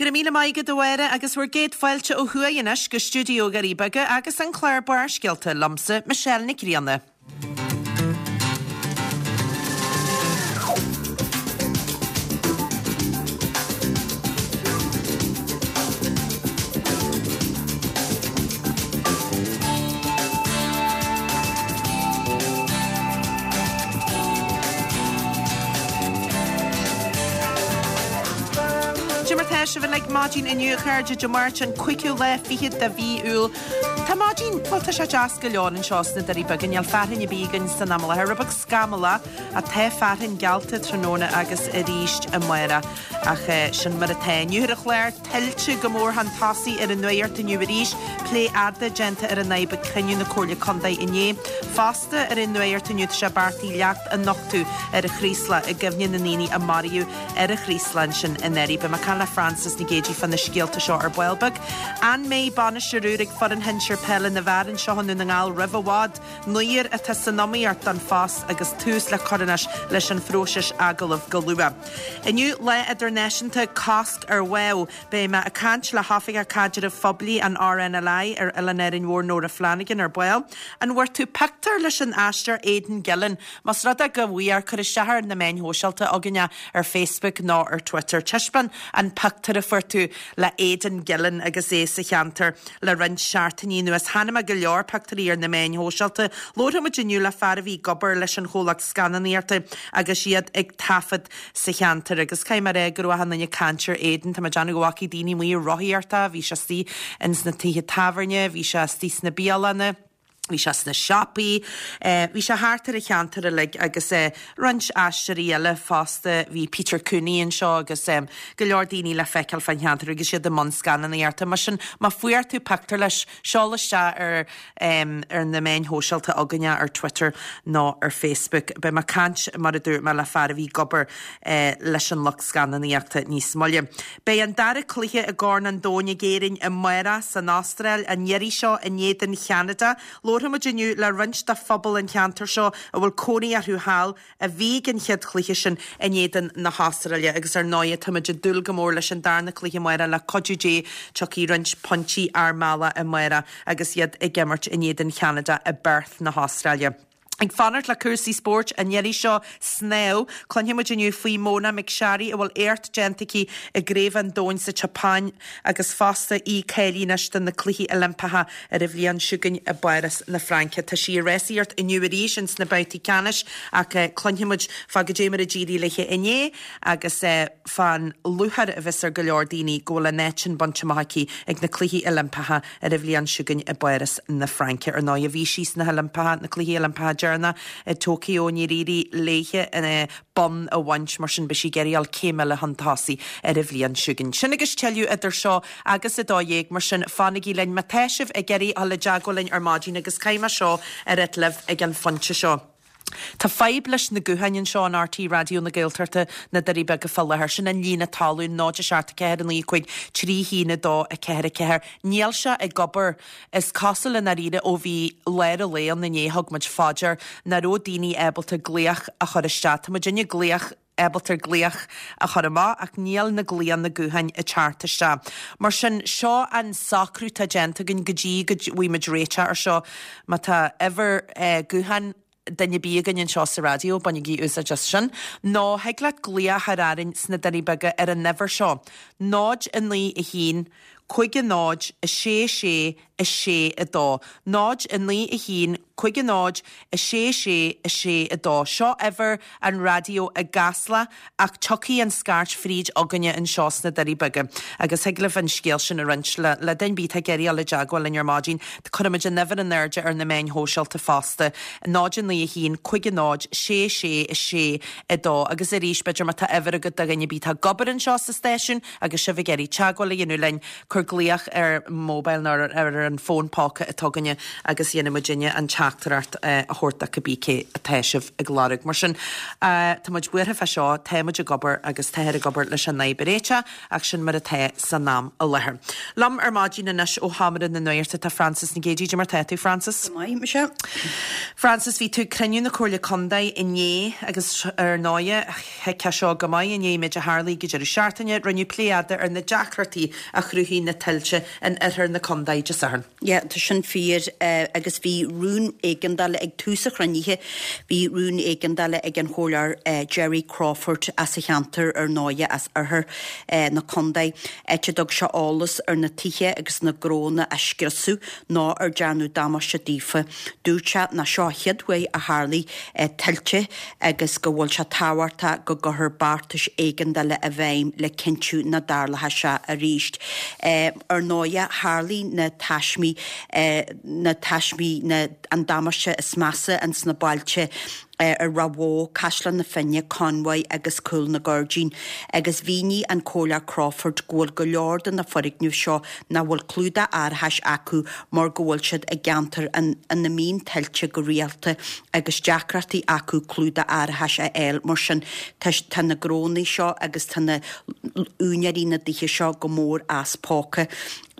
Go raibh míle maith agat a Mháire agus bhur gcéad fáilte ó thuaidh anois go stiúideo Dhoirí Beaga agus an clár Barrscéalta liomsa, Michelle Nic Grianna. Cad é mar tá sibh uilig maidin inniu a chairde, Dé Máirt an 5ú lá fichead de mhí Iúil. Tá maidin, bhuel tá sé deas go leor anseo sna Doirí Beaga, níl fearthainn ar bith againn san am i láthair, rud beag scamallach ach tá fearthainn geallta tráthnóna agus arís amárach ach sin mar atá. Inniu ar an chlár, tuillte go mór chun tosaigh ar an nuacht inniu arís, plé fhada déanta ar an fhadhb ag cruinniú na Comhairle Contae inné. Fosta ar an nuacht inniu tá sé beartaithe leacht a nochtadh ar an Chraoslach i gcuimhne na ndaoine a maraíodh ar an Chraoslach ansin i nDoirí. Beidh mé ag caint le Frances Nic Géadaigh fá na scéalta seo ar ball beag. An mbeidh bainisteoir úr ag foireann shinsir peile na bhfear anseo i nDún na nGall roimh i bhfad? Naoir atá san iomaíocht don phost agus tús le cur anois leis an phróiseas agallamh go luath. Inniu, Lá Idirnáisiúnta Cosc ar Bháthadh. Beidh mé ag caint le hOifigeach Caidrimh Phoiblí an RNLI ar Oileán Árainn Mhór Nóra Flanagan ar ball. An bhfuair tú pictiúr leis an aisteoir Aidan Gillen? Más rud é go bhfuair, cuir isteach ar na meáin shóisialta againn é ar Facebook nó ar Twitter. Taispeáin an pictiúr a fuair tú le Aidan Gillen agus é sa cheantar le roinnt seachtainí anuas. Chonaic mé go leor pictiúirí ar na meáin shóisialta. Labharfaidh muid inniu le fear a bhí ag obair leis an chomhlacht scannánaíochta agus iad ag taifead sa cheantar agus caithfidh mé a rá go raibh achan duine ag caint ar Aidan. Tá mé ag déanamh go bhfacaidh daoine amuigh ag rothaíocht é, bhí sé istigh ins na tithe tábhairne, bhí sé istigh sna bialanna, bhí sé sna siopaí, bhí sé thart ar an cheantar uilig agus roinnt aisteoirí eile fosta, bhí Peter Cooney anseo agus go leor daoine le feiceáil fán cheantar agus iad i mbun scannánaíochta. Mar sin, má fuair tú pictiúr leis, seol isteach ar ar na meáin shóisialta againne ar Twitter nó ar Facebook. Beidh mé ag caint, mar a dúirt mé, le fear a bhí ag obair leis an lucht scannánaíochta níos moille. Beidh an dara cluiche i gCorn an Domhain ag Éirinn amárach san Astráil, an iarraidh seo in éadan Cheanada. Labharfaidh muid inniu le roinnt de phobal an cheantair seo a bhfuil cónaí orthu thall, a bhí ag an chéad chluiche sin in éadan na hAstráile agus ar ndóighe táimid ag dúil go mór leis an darna cluiche amárach le cuidiú Dé tiocfaidh roinnt pointí ár mbealach amárach agus iad ag imirt in éadan Cheanada i bPerth na hAstráile. Ag fanacht le cúrsaí spóirt an iarraidh seo, snámh, cluinfidh muid inniu faoi Mona McSharry a bhfuil éacht déanta aici i gCraobh an Domhain sa tSeapáin agus fosta í cáilithe anois do na Cluichí Oilimpeacha ar an bhliain seo chugainn i bPáras na Fraince. Tá sí ag rásaíocht inniu arís ins na babhtaí ceannais ach cluinfidh muid fá goidé mar a d'éirigh léi inné agus fán lúcháir a bheas ar go leor daoine go bhfuil an áit sin bainte amach aici ag na Cluichí Oilimpeacha ar an bhliain seo chugainn i bPáras na Fraince. Ar ndóigh bhí sí sna hOilimpeacha, na Cluichí Oilimpeacha deireanach i Tokyo, níor éirigh léi bonn a bhaint, mar sin beidh sí ag iarraidh dul céim eile chun tosaigh ar an bhliain seo chugainn. Sin agus tuilleadh idir seo agus 12:00, mar sin fanaigí linn má tá sibh ag iarraidh dul i dteagmháil linn ar maidin agus caithfidh mé seo a ráit libh ag an phointe seo. Tá fadhb leis na gutháin anseo in RTÉ Raidió na Gaeltachta, na Doirí Beaga fá láthair. Sin an líne talún, 0 7 4 9 5 3 1 2 4 4. Níl sé ag obair. Is cosúil i ndáiríre ó bhí lár an lae ann inné thug muid fá dear nach raibh daoine ábalta glaoch a chur isteach. Tá muidinne glaoch ábalta glaoch a chur amach ach níl na glaonna gutháin ag teacht isteach. Mar sin, seo an socrú atá déanta againn go dtí go bhfaighidh muid réiteach ar seo. Má tá uimhir gutháin duine ar bith againn anseo sa raidió, bainigí úsáid as sin. Nó thig leat glaoch a chur orainn sna Doirí Beaga ar an uimhir seo, 0 9 1 5 0 6 6 6 2. 0 9 1 5 0 6 6 6 2. Seo uimhir an raidió i gCasla ach tiocfaidh an scairt fríd againne anseo sna Doirí Beaga agus thig libh an scéal sin a roinnt le le duine ar bith atá ag iarraidh dul i dteagmháil linn ar maidin. Cuirfimid an uimhir in airde ar na meáin shóisialta fosta, 0 9 1 5 0 6 6 6 2 agus arís b'fhéidir má tá uimhir agat do dhuine ar bith atá ag obair anseo sa stáisiún agus sibh ag iarraidh teagmháil a dhéanamh linn, cuir. Cuir glaoch ar mobile nó ar an fón póca atá againne agus dhéanfaidh muidinne an teachtaireacht a thabhairt do cibé cé atá sibh ag lorg. Mar sin, tá muid buartha fá seo, tá muid ag obair agus táthar ag obair leis an fhadhb a réiteach ach sin mar atá san am i láthair. Liom ar maidin anois ó Sheomra na Nuachta tá Frances Nic Géadaigh. Cad é mar tá tú, Frances? Go maith, muise. Frances, bhí tú ag cruinniú na Comhairle Contae inné agus ar ndóighe, thuigfeá seo go maith i ndiaidh an méid a tharlaigh ag an deireadh seachtaine, rinneadh plé fhada ar na deacrachtaí a chruthaigh na tuilte in oirthear na contae Dé Sathairn. Yeah, tá sin fíor agus bhí rún éigeandála ag tús an chruinnithe, bhí rún éigeandála ag an Chomhairleoir Gerry Crawford as an cheantar ar ndóighe, as oirthear na contae, áit a dtug sé eolas ar na tithe agus na gnónna a scriosadh nó ar dearnadh damáiste daofa. Dúirt sé nach seo an chéad uair a tharlaigh tuilte agus go bhfuil sé tábhachtach go gcuirfear beartais éigeandála i bhfeidhm le cinntiú nach dtarlóidh sé arís. Ar ndóighe, tharlaigh na taismí, na taismí, na, an damáiste is measa ins na bailte ar Ráth Bhoth, Caisleán na Finne, Conmhaigh agus Cúl na Gairdín agus mhínigh an Comhairleoir Crawford go bhfuil go leor de na foirgnimh seo nach bhfuil clúdach árachais acu mar go bhfuil siad i gceantair ina mbíonn tuilte go rialta agus deacrachtaí acu clúdach árachais a fháil mar sin tá na gnónna seo agus tá na úinéirí na dtithe seo go mór as póca.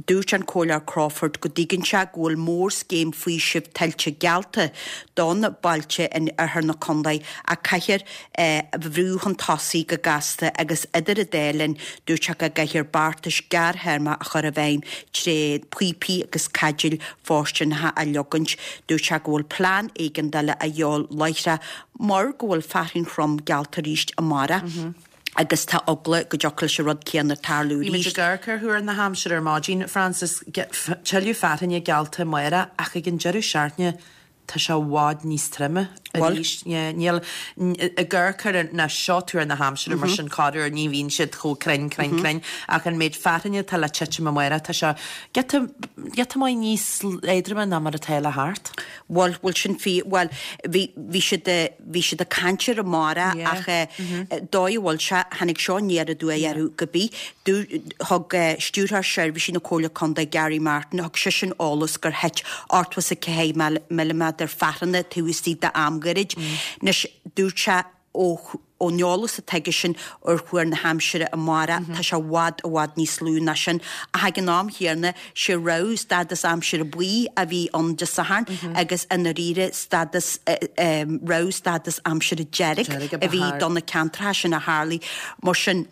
Dúirt an Comhairleoir Crawford go dtuigeann sé go bhfuil mórscéim faoisimh tuilte geallta do na bailte in oirthear na contae ach caithfear é a bhrú chun tosaigh go gasta agus idir an dá linn dúirt sé go gcaithfear beartais gearrthéarma a chur i bhfeidhm tré phíopaí agus caidéil fóirsteanacha a leogaint. Dúirt sé go bhfuil plean éigeandála a dhíobháil láithreach mar go bhfuil fearthainn throm geallta arís amárach. agus tá eagla go dtiocfadh leis an rud céanna tarlú Bhí muid arís. ag amharc ar thuar na haimsire ar maidin, Frances, tuilleadh fearthainne geallta amárach ach ag an deireadh seachtaine tá sé i bhfad níos troime arís. Níl, ag amharc ar na, seo tuar na haimsire mar sin corruair ní bhíonn siad chomh cruinn, cruinn, cruinn ach an méid fearthainne atá le titim amárach tá sé giota, giota maith níos éadroime ná mar atá le theacht. Bhuel, bhuel sin fíor, bhuel bhí, bhí siad, Bhí siad ag caint air amárach ach dóigh a bhfuil sé, tháinig seo aniar aduaidh orthu go bith. Thug Stiúrthóir Seirbhísí na Comhairle Contae Gary Martin, thug seisean eolas gur thit 84 milliméadar fearthanna taobh istigh d'am gairid. Anois, dúirt sé ó ón eolas atá aigesean ar thuar na haimsire amárach, tá sé i bhfad, i bhfad níos lú ná sin. Ach ag an am chéanna, sé rabhadh stádas aimsire buí a bhí ann Dé Sathairn agus i ndáiríre stádas, rabhadh stádas aimsire dearg a bhí do na ceantracha sin a tharlaigh. Mar sin,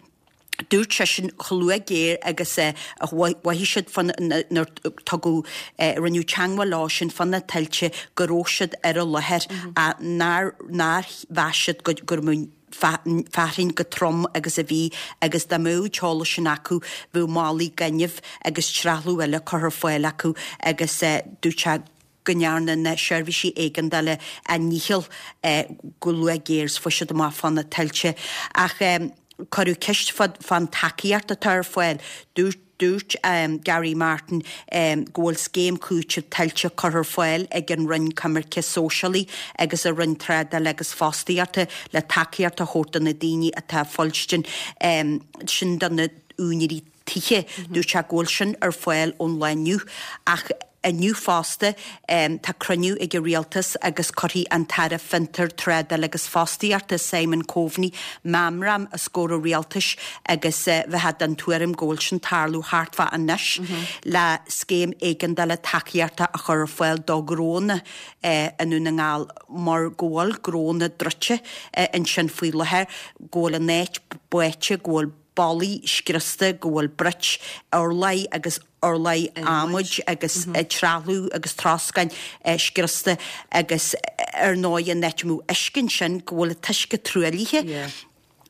dúirt seisean chomh luath géar agus a mhothaigh siad fá nuair tugadh, rinneadh teagmháil leo sin fá na tuilte go raibh siad ar an láthair ach nár, nár mheas siad go, go raibh fearthainn chomh trom agus a bhí agus dá mbeadh an t-eolas sin acu bheadh málaí gainimh agus trealamh eile curtha ar fáil acu agus dúirt sé go ndearna na seirbhísí éigeandála a ndícheall go luath géar is fuair siad amach fá na tuilte. Ach cuireadh ceist fán tacaíocht atá ar fáil. Dúirt. Dúirt Gary Martin go bhfuil scéim cúitimh tuilte curtha ar fáil ag an Roinn Coimirce Sóisialaí agus an Roinn Trádála agus Fostaíochta le tacaíocht a thabhairt do na daoine atá ag fuilstin sin do na úinéirí tithe. Dúirt sé go bhfuil sin ar fáil ón lá inniu ach Inniu fosta, tá cruinniú ag an Rialtas agus cuirfidh an tAire Fiontar, Trádála agus Fostaíochta, Simon Coveney, meamram os comhair an Rialtais agus bheifeá den tuairim go bhfuil sin tarlú thart fá anois le scéim éigeandála tacaíochta a chur ar fáil do ghnónna i nDún na nGall mar go bhfuil gnónna druidte ansin faoi láthair, go bhfuil an áit báite, go bhfuil ballaí scriosta, go bhfuil broic, urláir agus urláir adhmaid agus trealamh agus troscáin scriosta agus ar ndóigh an áit a mbeadh uisce ansin go bhfuil an t-uisce truaillithe.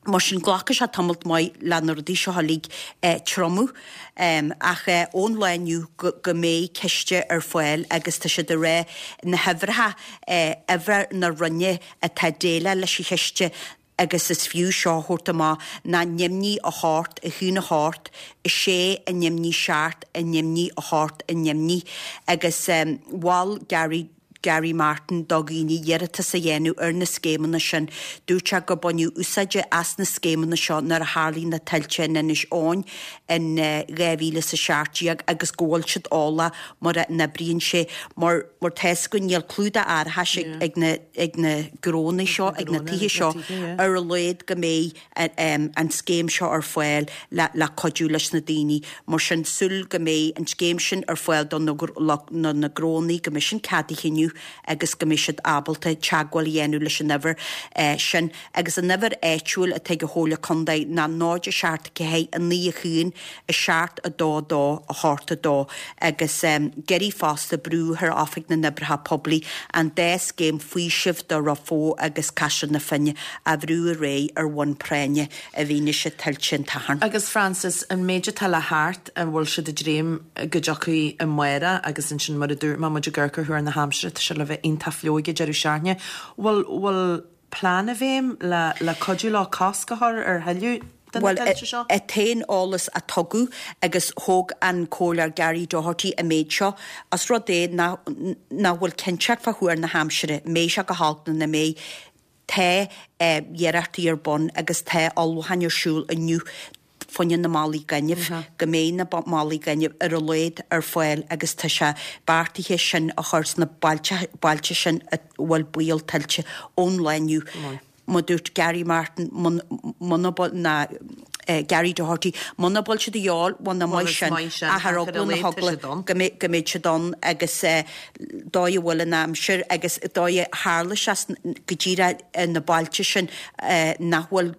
Mar sin glacfaidh sé tamalt maith le na rudaí seo uilig triomú. Ach ón lá inniu go mbeidh ciste ar fáil agus tá siad ag rá na huimhreacha, uimhir na Roinne atá ag déileáil leis an chiste, agus is fiú seo a thabhairt amach, ná neamhní 8, 1 8, 6 neamhní 7, neamhní 8, neamhní. Agus mhol Gary. Gary Martin do dhaoine iarratas a dhéanamh ar na scéimeanna sin. Dúirt sé gur baineadh úsáid as na scéimeanna seo nuair a tharlaigh na tuilte in Inis Eoghain in 2017 agus go bhfuil siad eolach mar a n-oibríonn sé mar mar tá 'fhios againn níl clúdach árachais ag na ag na gnónna seo ag na tithe seo ar a laghad go mbeidh an scéim seo ar fáil le cuidiú leis na daoine. Mar sin, súil go mbeidh an scéim sin ar fáil do na na gnónnaí, go mbeidh sin ceadaithe inniu agus go mbeidh siad ábalta teagmháil a dhéanamh leis an uimhir sin. Agus an uimhir áitiúil atá ag an Chomhairle Contae ná 0 7 4 9 1 7 2 2 8 2 agus d'iarr fosta brú ar Oifig na nOibreacha Poiblí an dá scéim faoisimh do Ráth Bhoth agus Caisleán na Finne a bhrú ar aghaidh ar bhonn práinne i bhfianaise tuilte an tSathairn. Agus Frances, an méid atá le theacht, an bhfuil siad ag dréim go dtiocfaidh amárach agus ansin mar a dúirt mé, muid ag amharc ar thuar na haimsire, tá sé le bheith iontach fliuch ag an deireadh seachtaine. Bhfuil, bhfuil plean i bhfeidhm le, le cuidiú leo cosc a chur ar thuilleadh de na Bhuel, tuilte seo? an t-aon eolas a tugadh agus thóg an Comhairleoir Gary Doherty an méid seo, os rud é nach, nach bhfuil cinnteacht fá thuar na haimsire, mbeidh sé go holc nó nach mbeidh, Tá iarrachtaí ar bun agus tá ullmhúcháin ar siúl inniu fá choinne na málaí gainimh, go mbeidh na málaí gainimh ar a laghad ar fáil agus tá sé beartaithe sin a chur sna bailte sin a bhfuil baol tuilte ón lá inniu. Mar dúirt Gary Martin, muna bhfuil, ná Gary Doherty, muna bhfuil siad a dhíobháil, bhuel nach maith sin, ach ar eagla na heagla go mbeidh siad ann agus dóigh a bhfuil an aimsir agus dóigh a tharla sé go díreach ar na bailte sin nach bhfuil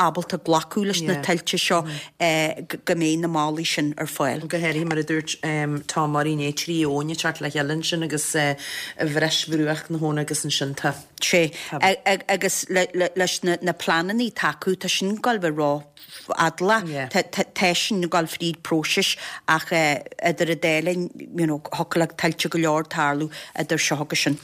ábalta glacadh leis na tuilte seo go mbeidh na málaí sin ar fáil. Go háirithe mar a dúirt Tom Murray inné, 3 abhainn ag teacht le chéile ansin agus bhris bhruach na habhann agus ansin tá. Sé. Agus leis na pleananna atá acu, tá sin ag gabháil a bheith ró-fhadálach. Tá sin ag gabháil fríd próisis ach idir an dá linn, you know, thiocfadh le tuilte go leor tarlú idir seo agus sin.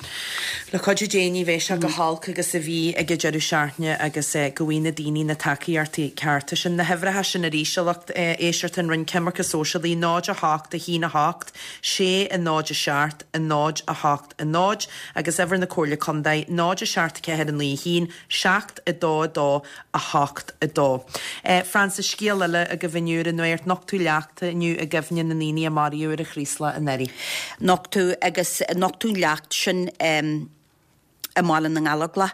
Le cuidiú Dé ní bheidh sé chomh holc agus a bhí ag an deireadh seachtaine agus go bhfaighidh na daoine na tacaíochtaí cearta sin. Na huimhreacha sin arís, a lucht éisteachta, an Roinn Coimirce Sóisialaí, 0 8 1 8 6 0 7 0 8. 0, agus uimhir na Comhairle Contae, 0 7 4 9 1 7 2 2 8 2. Frances, Scéal eile agaibh inniu ar an nuacht, nochtadh leachta inniu i gcuimhne na ndaoine a maraíodh ar an Chraoslach anuraidh. Nochtadh agus nochtadh an leacht sin i mBaile na nGallóglach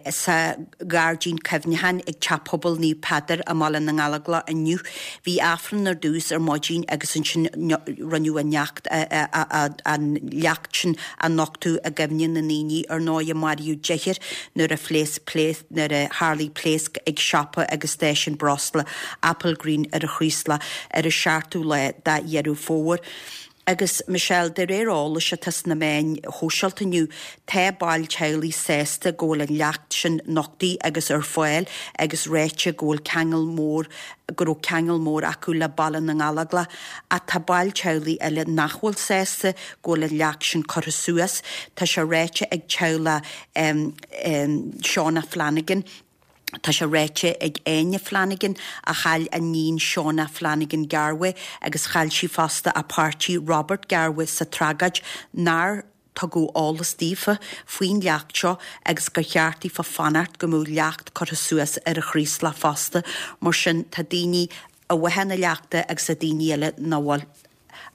sa ghairdín cuimhneacháin ag Teach Pobail Naomh Peadar i mBaile na nGallóglach inniu. Bhí Aifreann ar dtús ar maidin agus ansin rinneadh an leacht an leacht sin a nochtadh i gcuimhne na ndaoine ar ndóigh a maraíodh deichniúr nuair a phléasc nuair a tharlaigh pléasc ag siopa agus stáisiún breosla Applegreen ar an Chraoslach ar an seachtú lá de Dheireadh Fómhair. Agus, Michelle, de réir eolais atá sna meáin shóisialta inniu, tá baill teaghlaigh sásta go bhfuil an leacht sin nochtaithe agus ar fáil agus ráite go bhfuil ceangal mór, go raibh ceangal mór acu le Baile na nGallóglach. Ach tá baill teaghlaigh eile nach bhfuil sásta go bhfuil an leacht sin curtha suas. Tá sé ráite ag teaghlach Shauna Flanagan, Tá sé ráite ag Áine Flanagan, a chaill a níon Shauna Flanagan Garvey agus chaill sí fosta a páirtí Robert Garvey sa tragóid, nár tugadh eolas daofa faoin leacht seo agus gur cheart daofa fanacht go mbeadh leacht curtha suas ar an Chraoslach fosta. Mar sin tá daoine i bhfáth na leachta agus tá daoine eile nach bhfuil.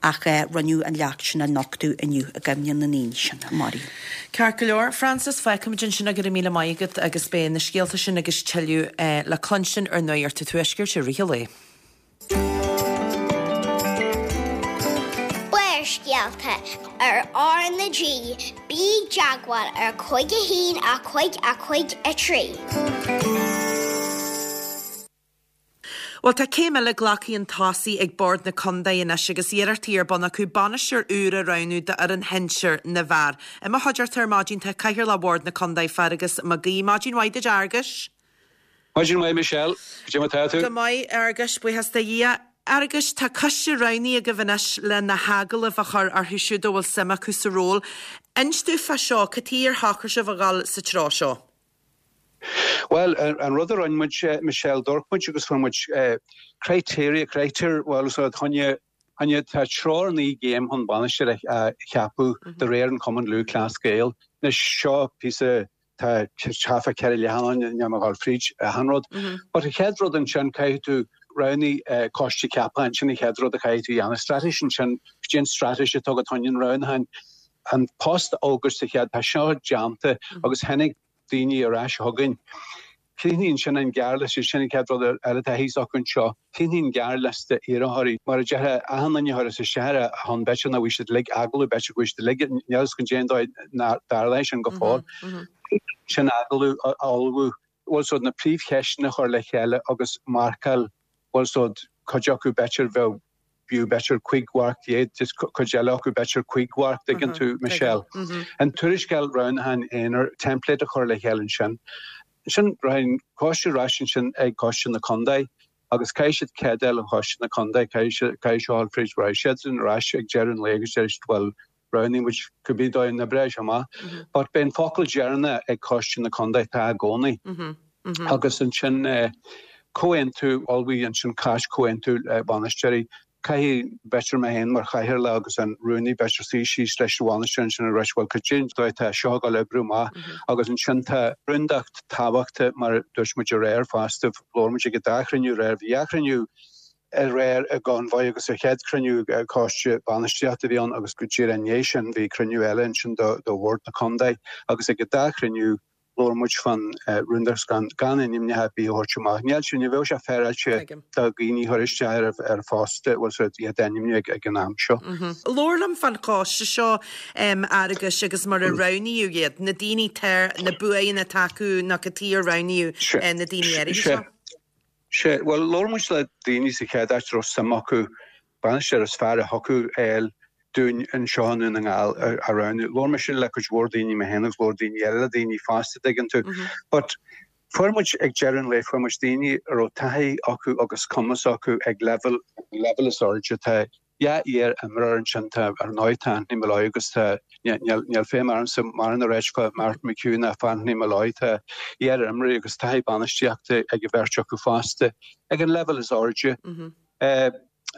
Ach rinneadh an leacht sin a nochtadh inniu i gcuimhne na ndaoine sin a maraíodh. Ceart go leor, Frances, fágfaimid ansin é, go raibh míle maith agat agus beidh na scéalta sin agus tuilleadh le cluinstin ar Nuacht an Tuaiscirt i rith an lae. Barrscéalta ar R na G, bí i dteagmháil ar 5 1 5 5 3. Bhuel, tá céim eile glactha chun tosaigh ag Bord na Condae anois agus iarrachtaí ar bun acu bainisteoir úr a roghnú d'fhoireann shinsir na bhfear. I mo chuideachta ar maidin tá Cathaoirleach Bhord na Condae, Feargus Mac Aoidh. Maidin mhaith duit, a Fhearghuis. Maidin mhaith, Michelle. Cad é mar tá tú? Go maith, a Fhearghuis, buíochas do Dhia. Fhearghuis, tá coiste roghnaithe agaibh anois le na hagallaimh a chur orthu siúd a bhfuil suim acu sa ról. Inis dúinn fá seo, cad chuige ar shocraigh sibh a dhul sa treo seo? Bhuel, an rud a rinne muid, Michelle, d'amharc muid agus fuair muid criteria, critéir, bhuel, úsáid choinne. Áine, tá treoir 9 gcéim chun bainisteoir a cheapadh de réir an Chumann Lúthchleas Gael. Anois, seo píosa, tá taifead 4 leathanán, níl mé ag dul fríd achan rud. But an chéad rud ansin, caithfidh tú roghnaigh coiste ceapacháin, sin an chéad rud a chaithfidh tú a dhéanamh. Straitéis ansin, cad é an straitéis atá agat chun an roghnúcháin. An post a fhógairt sa chéad, tá seo déanta agus tháinig daoine ar ais chugainn. Críochnaigh ansin an gearrliosta, sin an chéad rud eile atá thíos acu anseo. Críochnaigh an gearrliosta iarrthóirí. Mar a déarfá, achan duine a chuireas isteach ar a shon, b'fhéidir nach bhfuil siad uilig agallamh, b'fhéidir go bhfuil siad uilig, níl a fhios agam cén dóigh nár tharla sin go fóill. Sin agallamh a ullmhú, bhfuil a fhios agat, na príomhcheisteanna a chur le chéile agus marcáil, bhfuil a fhios agat, cuid acu b'fhéidir bheadh b'fhiú b'fhéidir 15 mharc, just cuid eile acu b'fhéidir 5 mharc, tuigeann tú, Michelle. An tuarascáil roghnúcháin aonair, template a chur le chéile ansin. Ansin rachaidh an coiste ar ais ansin ag coiste na contae agus caithfidh siad cead a fháil ó choiste na contae, caithfidh seo a ghabháil fríd, rachaidh siadsan ar ais ag deireadh an lae agus déarfaidh siad bhuel roghnaigh muid cibé dóigh a n-oibreoidh sé amach. But beidh an focal deireanach ag coiste na contae, tá i gcónaí. Agus ansin comhaontú, ullmhaigh ansin cás comhaontú bainisteoirí. Caithfidh, b'fhéidir mé féin mar chathaoirleach agus an rúnaí, b'fhéidir suí síos leis an bhainisteoir ansin a rá bhuel cad é an dóigh atá seo ag dul oibriú amach agus ansin tá rúndacht tábhachtach mar a dúirt muid aréir fosta, labhair muid ag an dá chruinniú aréir, bhí dhá chruinniú aréir i gConvoy agus an chéad chruinniú coiste bainistíochta a bhí ann agus go díreach i ndiaidh sin bhí cruinniú eile ansin do bhord na contae agus ag an dá chruinniú labhair muid fán rúndacht gan gan ainmneacha ar bith a thabhairt amach. Níl sé, ní bheadh sé féaráilte do dhaoine a chur isteach ar ar phost bhfuil a fhios agat iad a ainmniú ag ag an am seo. Labhair liom fán choiste seo Fhearghuis agus mar a roghnaíodh iad, na daoine tá, na buanna atá acu nó cad chuige ar roghnaíodh na daoine áirithe seo. Sea, bhuel, labhair muid le daoine sa chéad áit a raibh suim acu bainisteoir is fearr a thiocfadh a fháil dúinn anseo i nDún na nGall a roghnú. Labhair mise le cuid mhór daoine mé féin agus labhair daoine eile le daoine fosta, dtuigeann tú. But fuair muid, ag deireadh an lae, fuair muid daoine a raibh taithí acu agus cumas acu ag leibhéal, an leibhéal is airde. Tá Dhá iar-imreoir ansin, tá ar ndóigh tá Anthony Molloy agus tá, níl, níl feidhm ormsa mórán a ráit fá Martin McHugh ná fá Anthony Molloy, tá iar-imreoirí agus taithí bainistíochta ag an bheirt acu fosta ag an leibhéal is airde.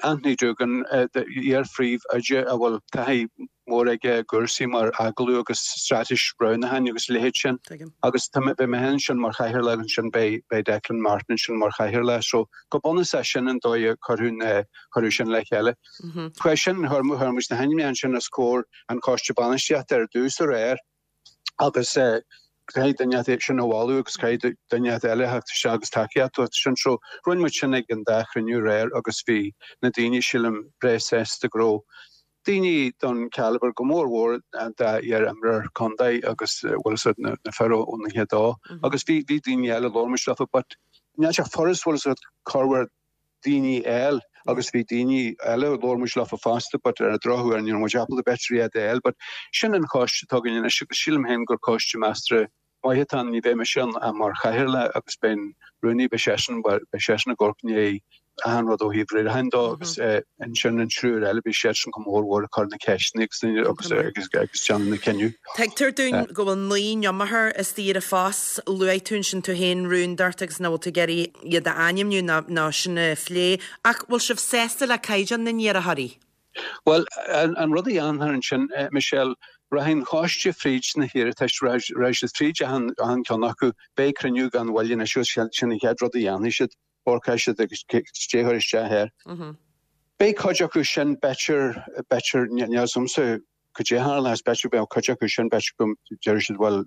Anthony Doogan, iar-phríomhoide a bhfuil taithí mhór aige i gcúrsaí mar agallamh agus straitéis roghnúcháin agus a leithéid sin. Agus tá mé, beidh mé féin ansin mar chathaoirleach ansin, beidh, beidh Declan Martin ansin mar chathaoirleach. So go bunúsach sin an dóigh a cuireadh na, cuireadh sin le chéile. Chuaigh sin, chuir, chuir muid na hainmneacha ansin os comhair an choiste bainistíochta ar dtús aréir agus caithfidh duine inteacht sin a mholadh agus caithfidh duine inteacht eile a theacht isteach agus tacaíocht a thabhairt sin. So rinne muid sin ag an dá chruinniú aréir agus bhí na daoine, sílim, breá sásta go raibh daoine den calibre go mór mhór an dá iar-imreoir contae agus bhfuil a fhios agat na fir ó na chéad dó agus bhí bhí daoine eile labhair muid leofa but níl sé furast bhfuil a fhios agat corruair daoine a fháil agus bhí daoine eile labhair muid leofa fosta but ar an drochuair ní raibh muid ábalta b'fhéidir iad a fháil but sin an choiste atá againn anois agus sílim féin gur coiste measartha maith atá ann, ní bheidh mise ann ach mar chathaoirleach agus beidh an rúnaí, beidh seisean, bhuel, beidh seisean ag amharc i ndiaidh achan rud ó thaobh riaracháin dó agus ansin an triúr eile, beidh siadsan go mór mhór ag cur na ceisteanna agus agus agus agus déanamh na cinneadh. Tuigtear dúinn go bhfuil 9 n-iomaitheoir istigh ar an phost. Luaigh tú ansin tú féin rúndacht agus nach bhfuil tú ag iarraidh iad a ainmniú ná ná sin a phlé. Ach bhfuil sibh sásta le caighdeán na n-iarrthóirí? Bhuel, an rud a dhéanfar ansin, Michelle, rachaidh an choiste fríd na hiarratais, rachaidh siad fríd achan ceann acu, beidh cruinniú gan mhoill anois agus sin an chéad rud a dhéanfaidh siad, amharcfaidh siad agus cad é a chuir isteach air. Beidh cuid acu sin, b'fhéidir, b'fhéidir, níl a fhios agamsa cad é a tharlós, b'fhéidir go mbeadh cuid acu sin, b'fhéidir go ndéarfaidh siad bhuel,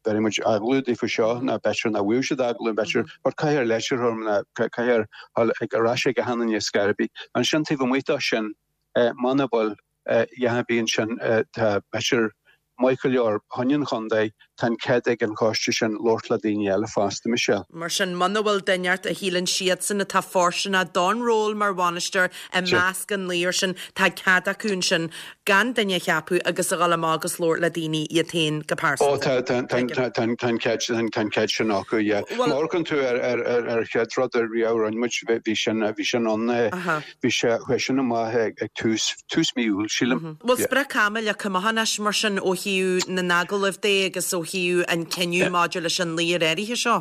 bhéarfaidh muid agallamh daofa seo nó b'fhéidir nach bhfaighidh siad agallamh, b'fhéidir, but caithfear leitir a thabhairt nó caithfear dhul ag ar ais ag achan duine scor ar bith. Ansin taobh amuigh de sin, muna bhfuil a dhath ar bith ansin, tá b'fhéidir maith go leor fá choinne an chontae, tá an cead ag an choiste sin labhairt le daoine eile fosta, Michelle. Mar sin, muna bhfuil duine inteacht a shíleann siadsan atá fóirsteanach don ról mar bhainisteoir i measc an naonúir sin, tá cead acu ansin gan duine a cheapadh agus a dhul amach agus labhairt le daoine iad féin go Ó, pearsanta. tá, tá, tá, tá, tá, tá an cead, tá an cead sin acu, yeah. Má amharcann tú ar, ar, ar, ar chéad rud a riamh a rinne muid, bhí, bhí sin, bhí sin ann, bhí sé, chuaigh sin amach ag, ag tús, tús mí Iúil, sílim. Bhfuil sprioc-ama leagtha amach anois mar sin ó thaobh na n-agallamh de agus ó thaobh an cinneadh maidir leis an naonúr áirithe seo?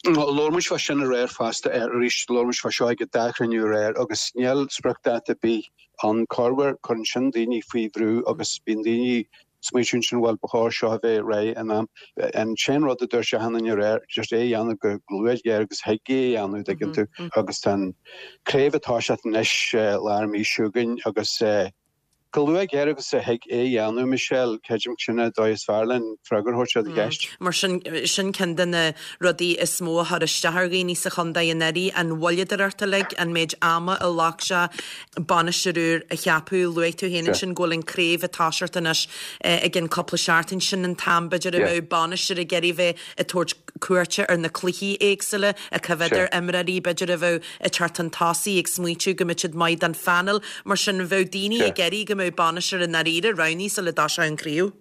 Labhair muid fá sin aréir fosta, arís labhair muid fá seo ag an dá chruinniú aréir agus níl spriocdháta ar bith ann. Corruair cuireann sin daoine faoi bhrú agus bíonn daoine ag smaoitiú ansin bhuel ba chóir seo a bheith réidh in am. An t-aon rud a dúirt achan duine aréir just é a dhéanamh go luath géar agus a thig é a dhéanamh dtuigeann tú agus tá an craobh ag toiseacht anois lár mí seo chugainn agus Go luath géar agus a thig é a dhéanamh, Michelle, creidim sin an dóigh is fearr len freagra a thabhairt ar do cheist. Mar sin, sin ceann de na rudaí is mó a chuir isteach ar dhaoine sa chontae anuraidh, an mhoilleadóireacht uilig, an méid ama a ghlac sé bainisteoir úr a cheapadh. Luaigh tú féin ansin go bhfuil an craobh ag toiseacht anois i gcionn cúpla seachtain. Sin an t-am, b'fhéidir, a mbeadh bainisteoir ag iarraidh bheith ag tabhairt cuairte ar na cluichí éagsúla, ag coimhéad ar imreoirí, b'fhéidir, a bheadh ag teacht chun tosaigh, ag smaoitiú go mbeadh siad maith don phainéal. Mar sin, bheadh daoine ag iarraidh go mbeadh bainisteoir i ndáiríre roghnaithe sula dtoiseodh an chraobh.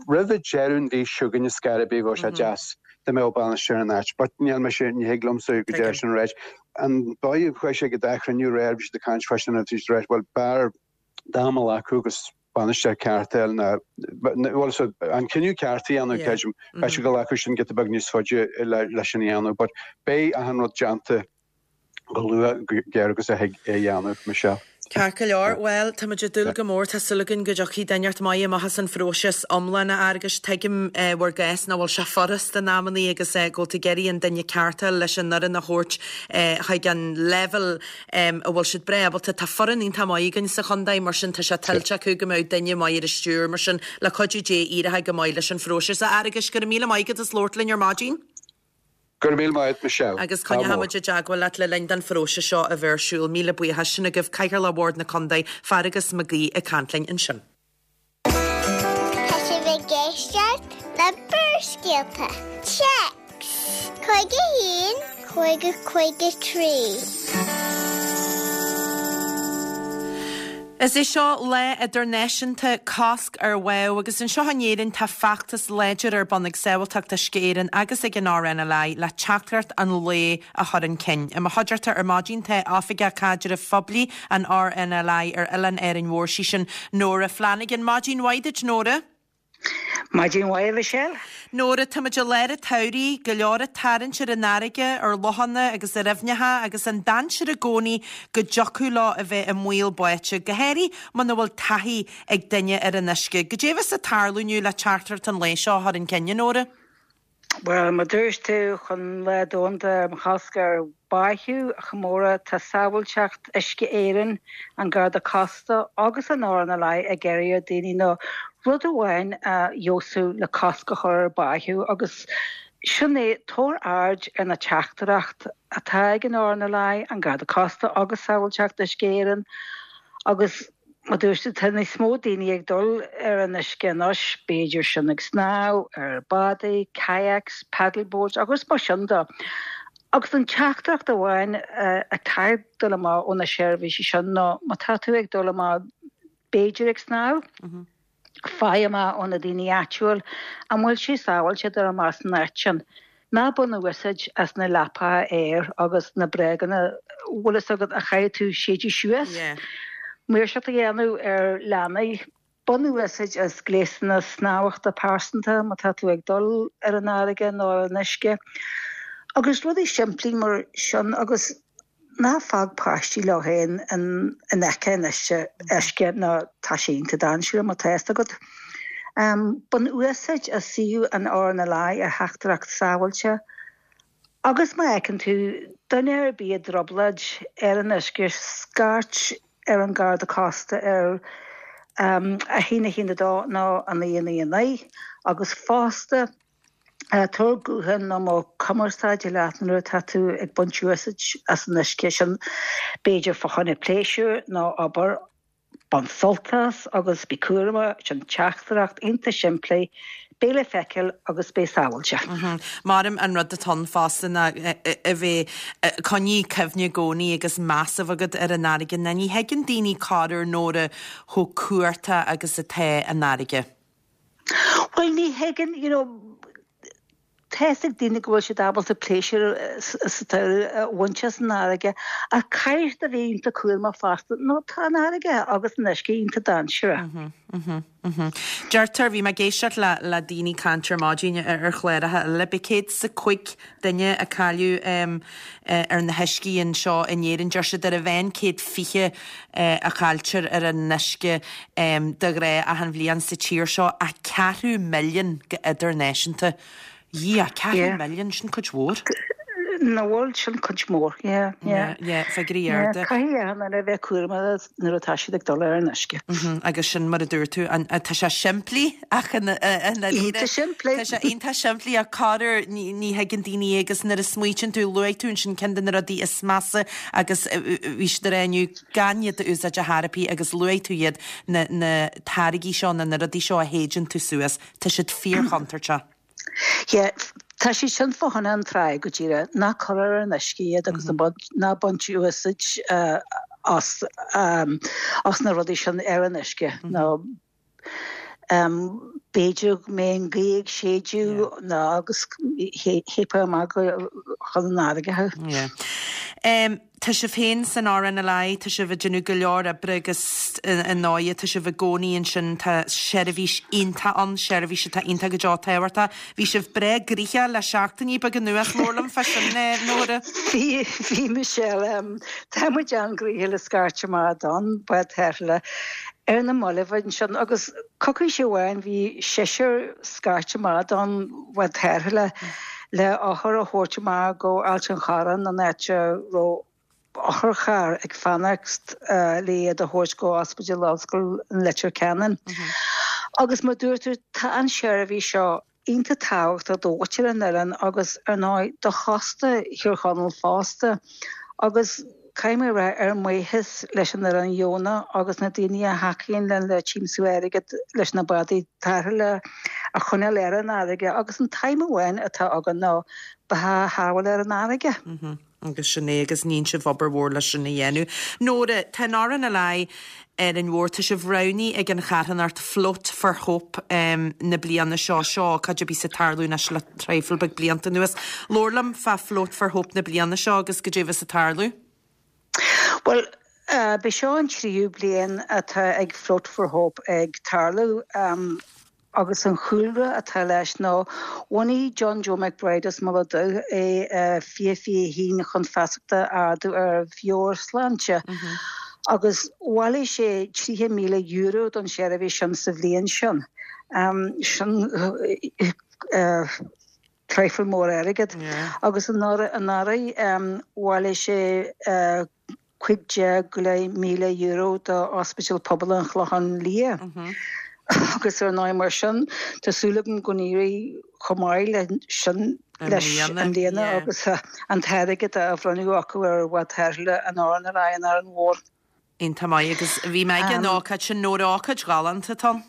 Roimh deireadh an mhí seo chugainn ar scor ar bith bheadh sé deas dá mbeadh bainisteoir in áit. But níl mise, ní thig liomsa go deir sin ráit. An dóigh a chuaigh sé ag an dá chruinniú aréir, bhí siad ag caint fá sin agus bhí siad ag ráit, bhuel, b'fhearr am a ghlacadh agus bainisteoir ceart a fháil ná, bhuel, so an cinneadh ceart a dhéanamh, creidim, beidh sé go nglacfaidh sin giota beag níos faide leis sin a dhéanamh, but beidh achan rud déanta go luath, géar agus a thig é a dhéanamh, Michelle. Ceart go leor, bhuel, tá muid ag dúil go mór, tá súil againn go dtiocfaidh duine inteacht maith amach as an phróiseas iomlán, a Fhearghuis. Tuigim bhur gcás nach bhfuil sé furast in amannaí agus go bhfuil tú ag iarraidh an duine ceart a fháil leis an fhoireann a thabhairt chuig an leibhéal a bhfuil siad breá ábalta. Tá foireann iontach maith againn sa chontae, mar sin tá sé tuillte acu go mbeadh duine maith ar an stiúir, mar sin le cuidiú Dé éireoidh go maith leis an phróiseas. A Fhearghuis, go raibh míle maith agat as labhairt linn ar maidin. Go raibh míle maith agat, Michelle. Agus coinneoidh muid i dteagmháil leat le linn don phróiseas seo a bheith ar siúl. Míle buíochas. Sin agaibh Cathaoirleach Bhord na Contae, Fearghus Mac Aoidh ag caint linn ansin. Tá sibh ag éisteacht le Barrscéalta. Téacs 51 50 53. Is é seo Lá Idirnáisiúnta Cosc ar Bháthadh agus anseo in Éirinn tá feachtas láidir ar bun ag Sábháilteacht Uisce Éireann agus ag an RNLI le teachtaireacht an lae a chur chun cinn. I mo chuideachta ar maidin tá Oifigeach Caidrimh Phoiblí an RNLI ar Oileán Árainn Mhór, sí sin Nóra Flanagan. Maidin mhaith duit, Nóra. Maidin mhaith, a Mhichelle. Nóra, táimid i lár an tsamhraidh, go leor ag tarraingt ar an fharraige, ar lochanna agus ar aibhneacha agus an dainséar i gcónaí go dtiocfadh leo a bheith i mbaol báite, go háirithe muna bhfuil taithí ag duine ar an uisce. Goidé a bheas ag tarlú inniu le teachtaireacht an lae seo a chur chun cinn, a Nóra? Bhuel, mar dúirt tú, chun Lá Domhanda um Chosc ar Bháitheadh a chomóradh, tá Sábháilteacht Uisce Éireann, an Garda Cósta agus an RNLI ag iarraidh ar daoine nó rud amháin a fheabhsú le cosc a chur ar bháitheadh agus sin é, tabhair aird ar na teachtaireacht atá ag an RNLI, an Garda Cósta agus Sábháilteacht Uisce Éireann agus Mar dúirt tú, tá níos mó daoine ag dul ar an uisce anois, b'fhéidir sin ag snámh, ar bádaí, kayaks, paddle boards agus mar sin de. Agus an teachtaireacht amháin atá ag dul amach ó na seirbhísí sin ná má tá tú ag dul amach b'fhéidir ag snámh, faigh amach ó na daoine áitiúil an bhfuil sé sábháilte dul amach san áit sin. Ná bain úsáid as na leapacha aeir agus na bréaganna, bhfuil fhios agat, a chaithfidh tú séideadh suas. Maoirseacht a dhéanamh ar leanaí. Bain úsáid as gléasanna snámhachta pearsanta má tá tú ag dul ar an fharraige nó ar an uisce. Agus rudaí simplí mar sin agus Ná fág páistí leo féin in aice an uisce nó tá sé iontach dainséarach má tá fhios agat. Bain úsáid as suíomh an RNLI ar theachtaireacht sábháilte agus má fheiceann tú duine ar bith i dtrioblóid ar an uisce scairt ar an Garda Cósta ar 1 1 2 nó 9 9 9 agus fosta Tabhair guthán nó modh cumarsáide leat nuair atá tú ag baint úsáid as an uisce sin, b'fhéidir fá choinne pléisiúir nó obair. Bain sult as agus bí cúramach, sin teachtaireacht iontach simplí, beidh le feiceáil agus beidh sábháilte. Maram an rud atá ann fosta ná a bheith, coinnigh cuimhne i gcónaí agus meas a bheith agat ar an fharraige. Ná ní thuigeann daoine corruair Nóra chomh cumhachtach agus atá an fharraige. Bhuel, ní thuigeann, you know, Tá fhios ag daoine go bhfuil siad ábalta pléisiúr sa tsamhradh a bhaint as an fharraige ach caithfidh siad a bheith iontach cúramach fosta nó tá an fharraige agus an uisce iontach dainséarach. Deirtear, bhí mé ag éisteacht le le daoine ag caint ar maidin ar chláracha eile, b'fhéidir 105 duine a cailleadh ar na huiscí anseo in Éirinn. Deir siad ar an mheán 120 a chailltear ar an uisce de ghnáth achan bhliain sa tír seo ach ceathrú milliún go idirnáisiúnta. Dhia, ceathrú milliún, sin cuid mhór. Nach bhfuil, sin cuid mhór, yeah, yeah. Yeah, figiúirí arda. Caithfidh achan duine a bheith cúramach nuair atá siad ag dul ar an uisce. Agus sin mar a dúirt tú, tá sé simplí ach i ndáiríre. Iontach simplí. Tá sé iontach simplí ach corruair ní thuigeann daoine é agus nuair a smaoitíonn tú, luaigh tú ansin ceann de na rudaí is measa agus bhí siad ag rá inniu gan iad a úsáid ar chor ar bith agus luaigh tú iad, na na táirgí seo nó na rudaí seo a shéideann tú suas, tá siad fíorchontúirteach. Yeah, tá siad sin fá choinne an trá go díreach, ná cur ar an uisce iad agus ná baint úsáid as as na rudaí sin ar an uisce nó b'fhéidir go mbeidh an ghaoth ag séideadh nó agus théifeá amach chun an fharraige thú. Yeah. Tá sibh féin san RNLI, tá sibh ag déanamh go leor oibre agus i ndóighe tá sibh i gcónaí ansin, tá seirbhís iontach ann, seirbhís atá iontach go deo tábhachtach. Bhí sibh breá gnoitheach le seachtainí beaga anuas, labhair liom fá sin, Nóra. Bhí, bhí Michelle, tá muid an-ghnoitheach le scairt amach don bád tarrthála ar na mallaibh ansin agus coicís amháin bhí seisear scairt amach don bhád tarrthála le othar a thabhairt amach go Ailt an Chorráin, an áit a raibh otharcharr ag fanacht le iad a thabhairt go Ospidéal Ollscoile Leitir Ceanainn. Agus mar dúirt tú, tá an seirbhís seo iontach tábhachtach do mhuintir an oileáin agus, ar ndóigh, do chósta Thír Chonaill fosta. Agus caithfidh mé a rá, ár mbuíochas leis an fhoireann dheonach agus na daoine a thacaíonn linn le tiomsú airgid leis na bádaí tarrthála a choinneáil ar an fharraige agus an t-aidhm amháin atá againn ná beatha a shábháil ar an fharraige. Agus sin é, agus níonn sibh obair mhór leis sin a dhéanamh. Nóra, tá an RNLI Árainn Mhór, tá sibh roghnaithe ag an charthanacht Float for Hope na bliana seo. Seo ócáid a bíos ag tarlú anois le traidhfil beag blianta anuas. Labhair liom fá Float for Hope na bliana seo agus goidé a bheas ag tarlú. Bhuel, b'é seo an tríú bliain atá ag Float for Hope ag tarlú. Agus an chúlra atá leis ná bhunaigh John Joe McBride as Mullach Dubh é i 2021 chun feasacht a ardú ar mheabhairshláinte agus bhailigh sé €30,000 don seirbhís sin sa bhliain sin. Sin traidhfil mór airgid. Agus anuraidh bhailigh sé €15,000 do Ospidéal Pobail an Chlocháin Liath. Agus ar ndóigh mar sin tá súil agam go n-éireoidh chomh maith le sin leis i mbliana agus an t-airgead á bhronnadh acu ar bhád tarrthála an RNLI in Árainn Mhór. Iontach maith agus bhí mé ag an ócáid sin, Nóra, ócáid ghalánta atá ann.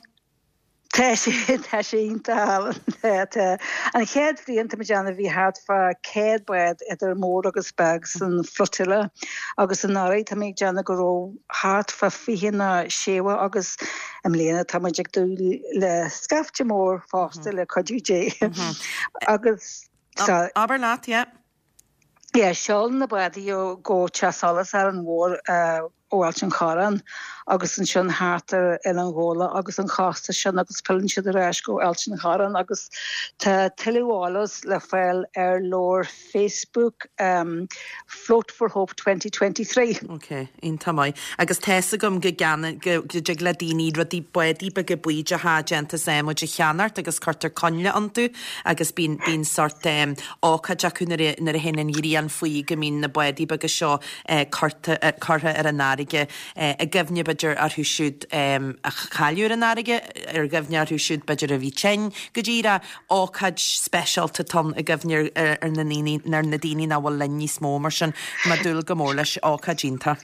Tá sé, tá sé iontach álainn. Tá, tá. An chéad bhliain tá mé ag déanamh bhí thart fá 100 bád idir mór agus beag san flotilla agus anuraidh tá mé ag déanamh go raibh thart fá 20 nó 60 agus i mbliana tá muid ag dúil le scaifte mór fosta le cuidiú Dé. Agus tá. Abair leat, yeah. Yeah, seolann na bádaí go Teach Solais Árainn Mhór ó Ailt an Chorráin agus ansin thart ar Oileán Ghabhla agus an chósta sin agus filleann siad ar ais go Ailt an Chorráin agus tá tuilleadh eolas le fáil ar leabhar Facebook Float for Hope 2023. Ok, iontach maith. Agus tá's agam go gceann, go dtig le daoine rudaí, bádaí beaga buí atá déanta as adhmaid a cheannacht agus cuirtear coinnle iontu agus bíonn, bíonn sort ócáid acu nuair a, nuair a théann an ghrian faoi go mbíonn na bádaí beaga seo curtha, curtha ar an fharraige i gcuimhne b'fhéidir orthu siúd a cailleadh ar an fharraige, ar gcuimhne orthu siúd b'fhéidir a bhí tinn, go díreach ócáid speisialta atá ann i gcuimhne ar na ndaoine, ar na daoine nach bhfuil linn níos mó mar sin tá mé ag dúil go mór leis, ócáid iontach.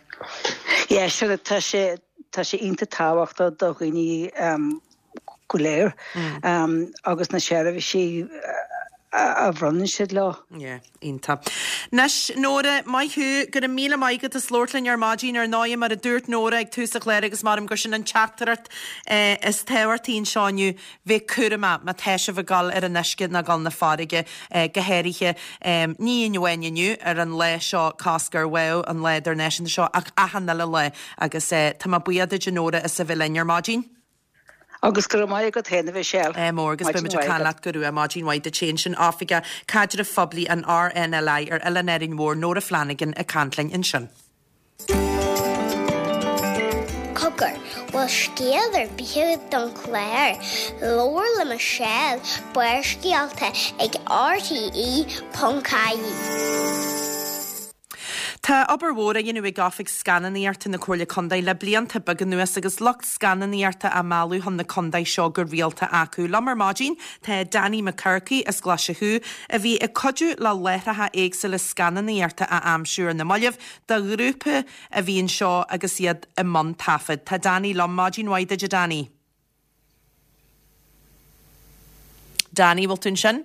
Yeah, sure, tá sé, tá sé iontach tábhachtach do dhaoine go léir agus na seirbhísí. a bhronnann siad leo. Yeah, iontach. Anois, Nóra, maith thú, go raibh míle maith agat as labhairt linn ar maidin. Ar ndóigh, mar a dúirt Nóra ag tús an chláir agus maram gur sin an teachtaireacht is tábhachtaí anseo inniu, bheith cúramach má tá sibh ag dul ar an uisce nó ag dul na farraige, go háirithe, ní amháin inniu, ar an lá seo, Cosc ar Bháthadh, an lá idirnáisiúnta seo, ach achan uile lá. Agus tá mé buíoch duit, a Nóra, as a bheith linn ar maidin. Agus go raibh maith agat féin, a Mhichelle. Ádh mór agus beidh muid ag caint leat go luath. Maidin mhaith duit féin. Sin Oifigeach Caidrimh Phoiblí an RNLI ar Oileán Árainn Mhór, Nóra Flanagan, ag caint linn ansin. Cogar, bhfuil scéal ar bith agat don chlár? Labhair le Michelle, Barrscéalta ag RTE.ie. Tá obair mhór á dhéanamh ag Oifig Scannánaíochta na Comhairle Contae le blianta beaga anuas agus lucht scannánaíochta á mealladh chun na contae seo go rialta acu. Liom ar maidin tá Danny Mac Earcaigh as Glaise Chú a bhí ag cuidiú le láithreacha éagsúla scannánaíochta a aimsiú ar na mallaibh do ghrúpa a bhí anseo agus iad i mbun taifead. Tá Danny liom. Maidin mhaith duit a Danny. Danny, bhfuil tú ansin?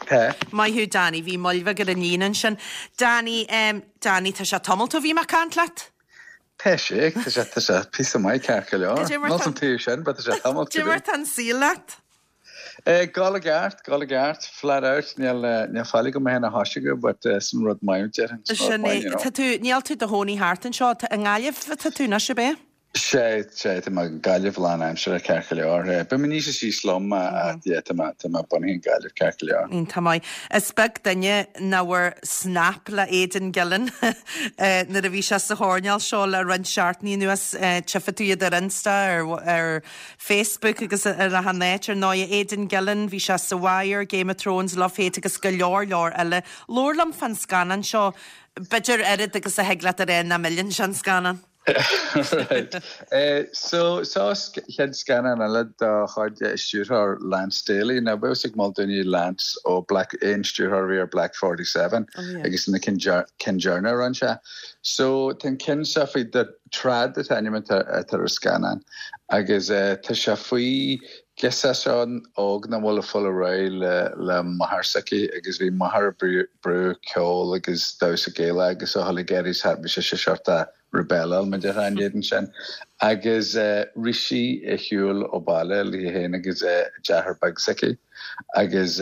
Tá. Maith thú Danny, bhí moill bheag ar an líne ansin. Danny, em, Danny, tá sé tamalt ó bhí mé ag caint leat. Tá sé, tá sé, tá sé píosa maith ceart go leor. Cad é mar Níl tá, san taobh sin, but tá sé tamalt cad é mar tá an saol leat? Eh, gabháil i gceart, gabháil i gceart, flat out, níl, eh, níl faill agam mé féin a thoiseagadh, but eh, sin rud maith, déarfainn, sin rud Sin maith, é, you know. tá tú, níl tú i do chónaí thart anseo, tá, i nGaillimh atá tú anois, ab é? Sea, sea, tá mé i nGaillimh lán-aimseartha ceart go leor. Beidh mo níos síos liom ach yeah, tá mé, tá mé bunaithe i nGaillimh ceart go leor. Iontach maith. Is beag duine nach bhfuair snap le Aidan Gillen nuair a bhí sé sa choirnéal seo le roinnt seachtainí anuas. Tchífidh tú iad ar Insta, ar ar Facebook agus ar achan áit. Ar ndóigh, Aidan Gillen, bhí sé sa Wire, Game of Thrones, Love Hate agus go leor leor eile. Labhair liom fán scannán seo, b'fhéidir oiread agus a thig leat a rá nach milleann sé an scannán. Right. So, seo chéad scannán eile de chuid stiúrthóir Lance Daly. Now, beidh fhios ag mórán daoine Lance ó Black, an stiúrthóir a bhí ar Black 47 Oh yeah. agus na cinn cinn deireanacha a rinne sé. So, tá an ceann seo faoi The Trad an t-ainm atá atá ar an scannán agus tá sé faoi ghirseach óg nach bhfuil ag fáil ar aghaidh le le máthair s'aici agus bhí máthair ag brú brú ceol agus damhsa Gaelach agus a chuile ag éirí bhí sise seort rebelláil mar a déarfá in éadan sin agus rith sí ar shiúl ó baile léi féin agus a deartháir beag s'aici agus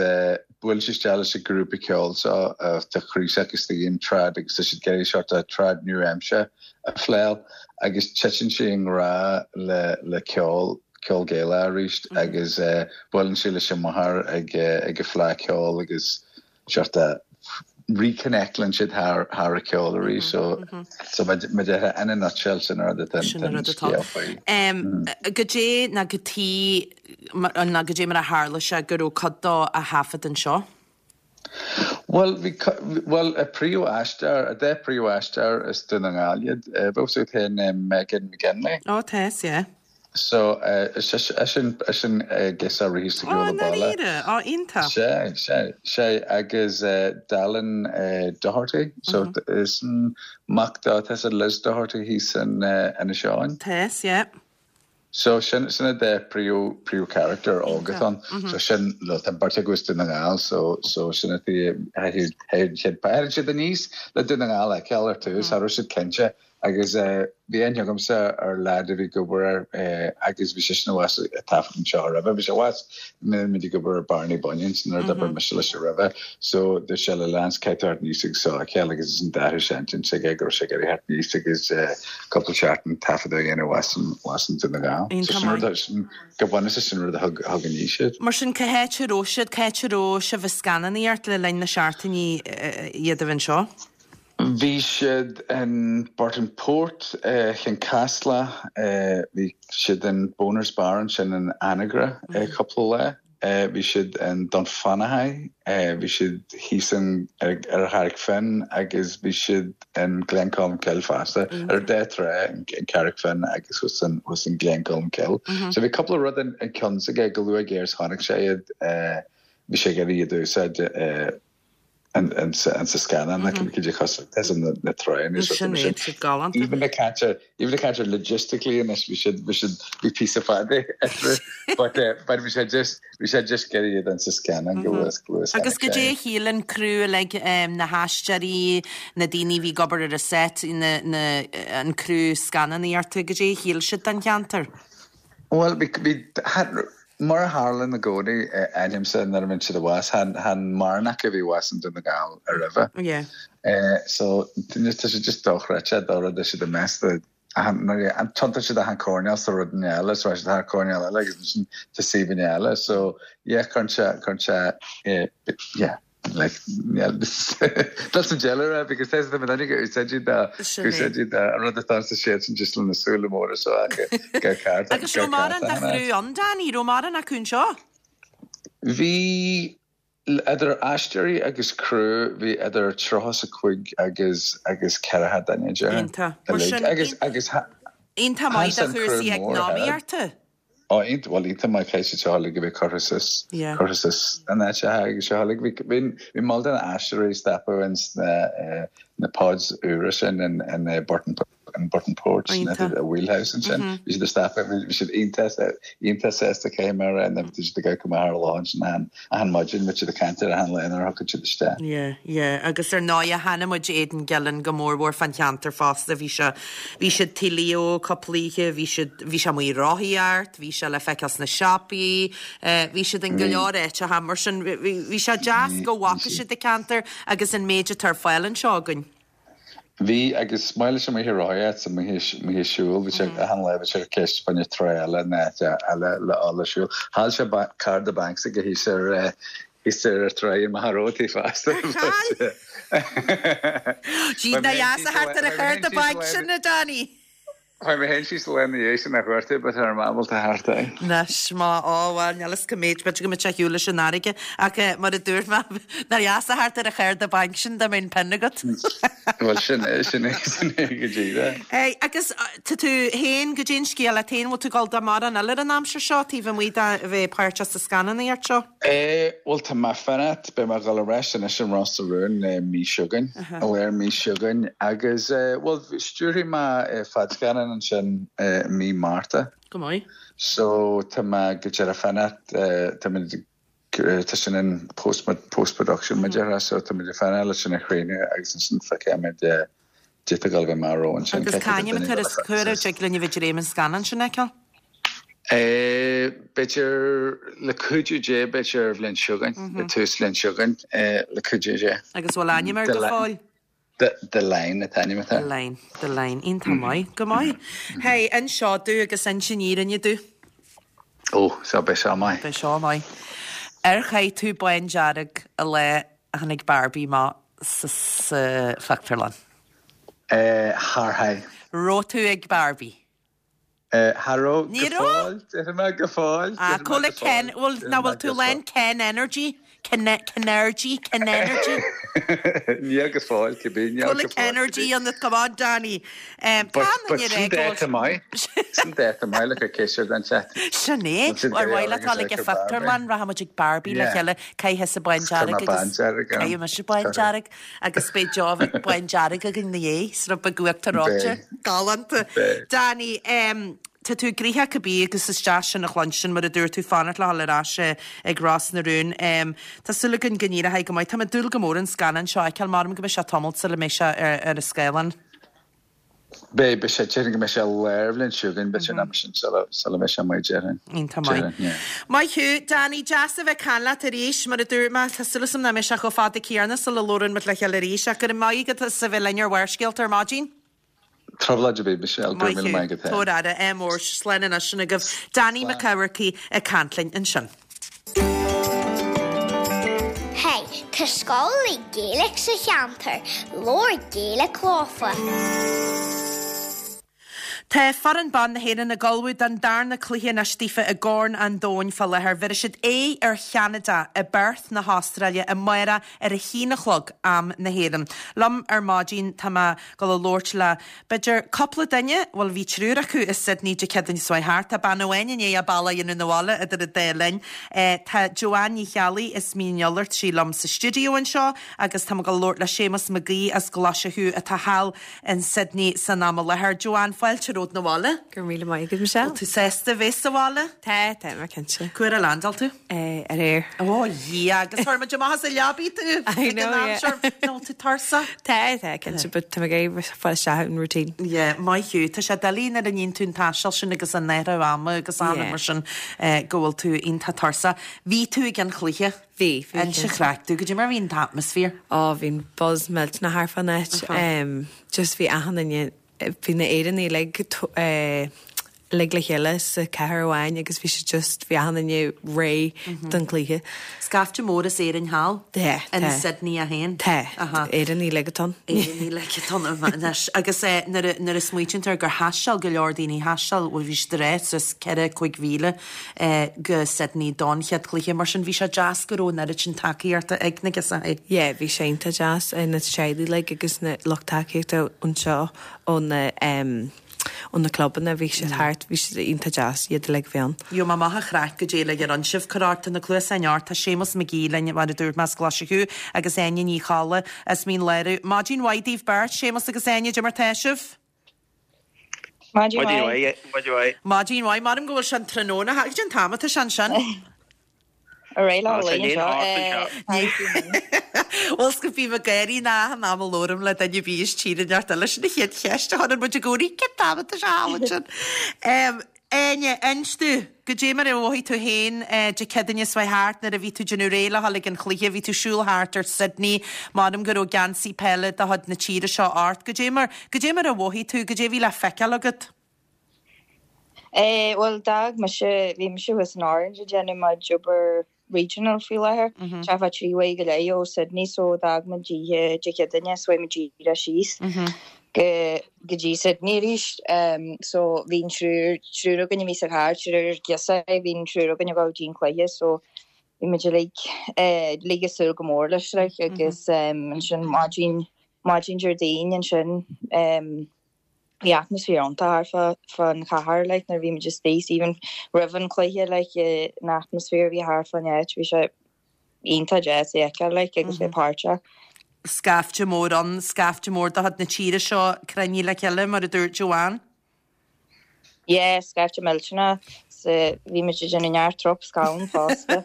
bhuail sí isteach leis an grúpa ceoil seo tá croí s'aici istigh in trad agus tá siad ag iarraidh seort of trad nua-aimseartha a phléáil agus titeann sí i ngrá le le ceol ceol Gaelach arís agus buaileann sí leis an máthair ag ag an fleadh ceoil agus seort of reconnectlann siad thar thar an ceol arís so so mar a déarfá in a nutshell sin an rud atá Sin an an rud atá. scéal faoi. Goidé ná cad chuige ná goidé mar a tharla sé go raibh cuid dó á thaifead anseo. Bhuel bhí bhuel a príomh-aisteoir a dá príomh-aisteoir as Dún na nGall iad bheadh fhios agat féin Megan McGinley. Ó tá fhios yeah. So, is sin an girseach a rith ar Ó, shiúl ó bhaile. i ndáiríre? Ó, iontach. Sea, sea, sea, agus Dallin Doherty, so is an mac dó, tá fhios agat Liz Doherty thíos in Inis Eoghain. Tá fhios, yeah. So, sin, sin an dá príomh, príomh character óg atá ann. So, sin, well, tá an bheirt acu as Dún na nGall, so, so sin a théann siad aníos le Dún na nGall a fheiceáil ar tús, cha raibh siad cinnte Agus bhí aithne agamsa ar leaid a bhí ag obair air agus bhí seisean abhus ag taifead anseo roimhe. Bhí sé abhus nuair muid ag obair ar Barney Bunions nuair a d'oibir mise leis roimhe. So dúirt sé le Lance caithfidh tú theacht aníos agus seo a fheiceáil agus ansin d'athraigh sé intinn s'aige go raibh sé ag iarraidh theacht aníos agus cúpla seachtain taifeadadh a dhéanamh abhus in abhus in Dún na nGall. So sin rud a sin go bunúsach sin rud a thug thug aníos iad. Mar sin cá háit a raibh siad, cá háit a raibh sibh ag scannánaíocht le linn na seachtainí iad a bheith anseo? Bhí siad in Burtonport, Cionn Caslach, bhí siad in Boners Bar ansin in Anagaire cúpla lá, bhí siad in Dunfanaghy, bhí siad thíos in ar an Charraig Finn agus bhí siad in Glencolmcille fosta, ar an dá trá, an Carraig Finn agus thuas in thuas in Glencolmcille. So bhí cúpla rud in ceann s'aige go luath géar is chonaic sé iad, bhí sé ag iarraidh iad a úsáid. Insa scannán like cad é cosúil leis na tránna is Sin é, siad galánta. Even ag caint ar even ag caint ar logistically anois bhí siad bhí siad bhí píosa fada eatarthu but eh but bhí sé just bhí sé just go iad insa scannán go bhfuil go bhfuil Agus goidé a shíl an criú uilig na haisteoirí na daoine a bhí ag obair ar an set na na an criú scannánaíochta goidé a shíl siad den cheantar? Bhuel, bhí, bhí, mar a tharlaíonn i gcónaí, aithnímse nuair a bhíonn siad abhus, chan, chan mórán acu a bhí abhus i nDún na nGall roimhe. Yeah. So, tá sé just dochreidte, dá rud é siad i measc de, achan, nuair a, tiontaíonn siad achan coirnéal sa rud eile, so siad thar coirnéal eile agus ansin tá suíomhanna eile, so, yeah, cuireann sé, cuireann sé, yeah. Like, that's an deile rá because there's the minute go úsáidí dá úsáidí dá an rud atá sa siad sin just lena súile móra seo acu go ceart. Agus raibh mórán de chriú ann Danny, raibh mórán acu anseo? Bhí idir aisteoirí agus criú bhí idir 35 agus agus 40 duine déarfainn. Iontach. Mar sin Agus agus iontach maith do chúrsaí eacnamaíochta. Ó, iontach, bhuel, iontach maith caithfidh siad seo uilig a bheith curtha suas, curtha suas in áiteacha agus seo uilig. Bhí, bhí, bhí moll de na aisteoirí ag stopadh ins na, na pods úra sin in, in Burton, in Burtonport, na Wheelhouse ansin. Bhí siad ag stopadh, bhí siad iontach, iontach sásta caithfidh mé a rá, nó bhí siad ag gabháil go maith ar a lá ansin achan, achan maidin, bhí siad ag caint ar achan lá nuair a thiocfadh siad isteach. Yeah, yeah, agus ar ndóighe aithnigh muid Aidan Gillen go mór mhór fán cheantar fosta, bhí sé, bhí siad Tigh Leo cúpla oíche, bhí siad, bhí sé amuigh ag rothaíocht, bhí sé le feiceáil sna siopaí, eh, bhí siad in go leor áiteacha, mar sin bhí, bhí sé deas go bhfaca siad an ceantar agus an méid atá ar fáil anseo againn. Bhí, agus maith leis amuigh ag rothaíocht 's amuigh amuigh ag siúl, bhí sé achan lá bhí sé ar ceist fá choinne trá eile nó áit eile le dhul ag siúl. Chaill sé cárta bainc s'aige thíos ar thíos ar an tráigh i Machaire Rabhartaigh fosta. Ar chaill? Gee, nár dheas a theacht ar an chárta bainc sin, a Danny. Chuaigh mé féin síos an lá ina dhiaidh sin a chuartú but cha raibh mé ábalta theacht air. Anois, má, á, bhuel, níl fhios cá mhéad, b'fhéidir go mbeadh sé ar shiúl leis an fharraige, ach mar a dúirt mé, nár dheas a theacht ar an chárta bainc sin dá mbeadh an pin agat. Bhuel, sin é, sin é, sin é go díreach. Hey, agus tá tú féin, goidé an scéal leat féin, bhfuil tú ag dul do mórán eile ar an aimsir seo, taobh amuigh de bheith páirteach sa scannánaíocht seo? Bhuel, tá mé fanacht, beidh mé ag dul ar ais anois in Ros na Rún mí seo chugainn, i lár mí seo chugainn agus, bhuel, stiúrfaidh mé fadscannán ansin i mí Márta. Go maith. So, tá mé go díreach fanacht, tá muid, tá sin in post, post-production mar a déarfá, so tá muid ag fanacht leis sin a chríochnú agus ansin feicfidh muid D'fhéadfadh dul go maith romhainn sin. Agus cá hainm atá air is cá huair a dtig linn a bheith ag dréim an scannán sin a fheiceáil? B'fhéidir, le cuidiú Dé, b'fhéidir ar bhliain seo chugainn, ag tús bhliain seo chugainn, le cuidiú Dé. Agus bhfuil ainm air go fóill? The Line an t-ainm atá air. The Line, The Line. Iontach maith, go maith. Hey, inis seo domh agus inis an fhírinne domh. Ó, so beidh seo maith. Beidh seo maith. Ar chaith tú bándearg an lá a tháinig Barbie amach sa phictiúrlann? Char chaith. Raibh tú ag Barbie? Cha raibh, Ní go raibh? fóill, déarfaidh mé, go fóill, Ah, déarfaidh mé cá bhfuil go Ken, fóill, bhfuil, déarfaidh nach mé bhfuil tú go lán fóill. Ken Energy? Ken, Kenergy, Ken Energy? Níl go fóill, cibé, níl Cá bhfuil go fóill, Kenergy cibé. ionat, come on Danny. Um, But, tá but an sin ré go dáta maith, sin dáta maith le cur ceist ar don chat. Sin é, Bhfuil siad ar ag mhaith leat agus dul ag ag an Barbie? phictiúrlann, rachaidh muid ag Barbie le Yeah. chéile, caith thusa Cuir bándearg mé agus bándearg ann. caithfidh mise bándearg. Agus beidh deoch bándearg againn 'na dhiaidh, sruth beag uachtar reoite. Beidh. Galánta. Beidh. Danny, em, tá tú gnoitheach cibé agus is deas sin a chluinstin, mar a dúirt tú, fanacht le dhul ar ais ag Ros na Rún. Em, tá súil againn go n-éireoidh go maith. Tá mé ag dúil go mór an scannán seo a fheiceáil. Measaim go mbeidh sé tamalt sula mbeidh sé ar, ar an scáileán. Beidh, beidh sé, déarfainn go mbeidh sé lár bhliain seo chugainn, b'fhéidir an am sin sula, sula mbeidh sé amuigh, déarfainn. Iontach maith. Déarfainn, yeah. Maith thú, Danny, deas a bheith ag caint leat arís, mar a dúirt mé, tá súil agam nach mbeidh sé chomh fada céanna sula labhrann muid le chéile arís, ach go raibh maith agat as a bheith linn ar Bharrscéalta ar maidin. Trioblóid ar bith, Michelle, go raibh Maith míle thú. maith agat féin. Tabhair aire, ádh mór, slán anois sin agaibh. Danny Mac Eamharcaigh ag caint linn ansin. Hey, tá scoil le Gaeilge sa cheantar, labhair Gaeilge leofa. Tá foireann ban na hÉireann ag ullmhú don darna cluiche anois daofa i gCorn an Domhain fá láthair. Bhéarfaidh siad aghaidh ar Cheanada i bPerth na hAstráile amárach ar a haon a chlog, am na hÉireann. Liom ar maidin tá mé ag dul a labhairt le b'fhéidir cúpla duine, bhuel bhí triúr acu i Sydney Dé Céadaoin seo thart. Tá bean amháin i ndiaidh a bealach a dhéanamh 'na bhaile idir an dá linn. Tá Joanne Ní Cheallaigh as Mín an Iolair, tá sí liom sa stiúideo anseo agus tá mé ag dul a labhairt le Séamus Mac Aoidh as Glaise Chú atá thall in Sydney san am i láthair. Joanne, fáilte romhat 'na bhaile. Go raibh míle maith agat, Michelle. Bhfuil tú sásta bheith sa bhaile? Tá, tá mé cinnte. Cá huair a landáil tú? Aréir. Ó, Dhia, agus chuir muid amach as an leabaidh tú I know, yeah. Nó bhfuil tú tuirseach? Tá, tá, cinnte, but tá mé ag iarraidh fáil isteach in routine. Yeah, maith thú. Tá sé doiligh nuair a níonn tú an taisteal sin agus an athrú ama agus an mar sin go bhfuil tú iontach tuirseach. Bhí tú ag an chluiche. Bhí, bhí. Inis an chraic domh, goidé mar a bhí an t-atmaisféar? Ó, bhí an buzz millteanach thart fán áit. Just bhí achan duine, bhí na Éireannaigh uilig, uilig le chéile sa chathair amháin agus bhí siad just, bhí achan duine réidh don chluiche. Scaifte mór as Éirinn thall? Tá, tá. In Sydney é féin? Tá. Éireannaigh uilig atá ann. Éireannaigh uilig atá ann anois. Agus nuair a, nuair a smaoitíonn tú air gur thaisteal go leor daoine, thaisteal, bhuel bhí siad ag rá suas ceithre, 5,000 go Sydney don chéad chluiche, mar sin bhí sé deas go raibh an oiread sin tacaíochta ag na girseachaí. Yeah, bhí sé iontach deas, na teaghlaigh uilig agus na lucht tacaíochta anseo ó na ó na clubanna, bhí siad thart, bhí siad iontach deas, iad uilig a bhí ann. Gheobhaidh mé amach an chraic goidé uilig a rinne sibh, cuir ort, tá na cluasáin ort, tá Séamus McGee linn, mar a dúirt mé, as Glaise Chú agus Áine Ní Cholla as Mín Lárach. Maidin mhaith daoibh beirt, Séamus agus Áine, goidé mar tá sibh? Maidin mhaith. Maidin mhaith. Maidin mhaith. Maram go bhfuil sé an tráthnóna. Goidé an t-am atá sé ansin. Ar aghaidh le lá anseo. Bhuel, 's go bím ag gáirí in achan am a labhraím le duine ar bith as tír inteacht eile. Sin an chéad cheist a chuireann muid i gcónaí. Cén t-am atá sé thall ansin? Áine, inis domh, goidé mar a mhothaigh tú féin Dé Céadaoine seo thart nuair a bhí tú ag déanamh réidh le dhul ag an chluiche, bhí tú ag siúl thart ar Sydney, m'anam go raibh geansaí peile de chuid na tíre seo ort. Goidé mar, goidé mar a mhothaigh tú, goidé a bhí le feiceáil agat? Eh, bhuel, d'fhág mise, bhí mise thuas in Orange ag déanamh mo job ar regional faoi láthair. Tá fá trí uair go leith ó Sydney so d'fhág muid oíche Dé Céadaoine so chuaigh muid díreach síos go go dtí Sydney arís. So bhí an triúr triúr againn a bhí sa charr, triúr girseach, bhí an triúr againn ag dul dtí an cluiche so bhí muid uilig uilig ag súil go mór leis like agus ansin maidin maidin Déardaoin ansin Bhí atmaisféar iontach thart fán chathair like nuair a bhí muid istigh even roimh an chluiche like an atmaisféar a bhí thart fán áit bhí sé iontach deas a fheiceáil like agus bheith páirteach. Scaifte mór ann, scaifte mór de chuid na tíre seo cruinnithe le chéile mar a dúirt Joanne. Yeah, scaifte millteanach. So bhí muid ag déanamh neart trups galán fosta.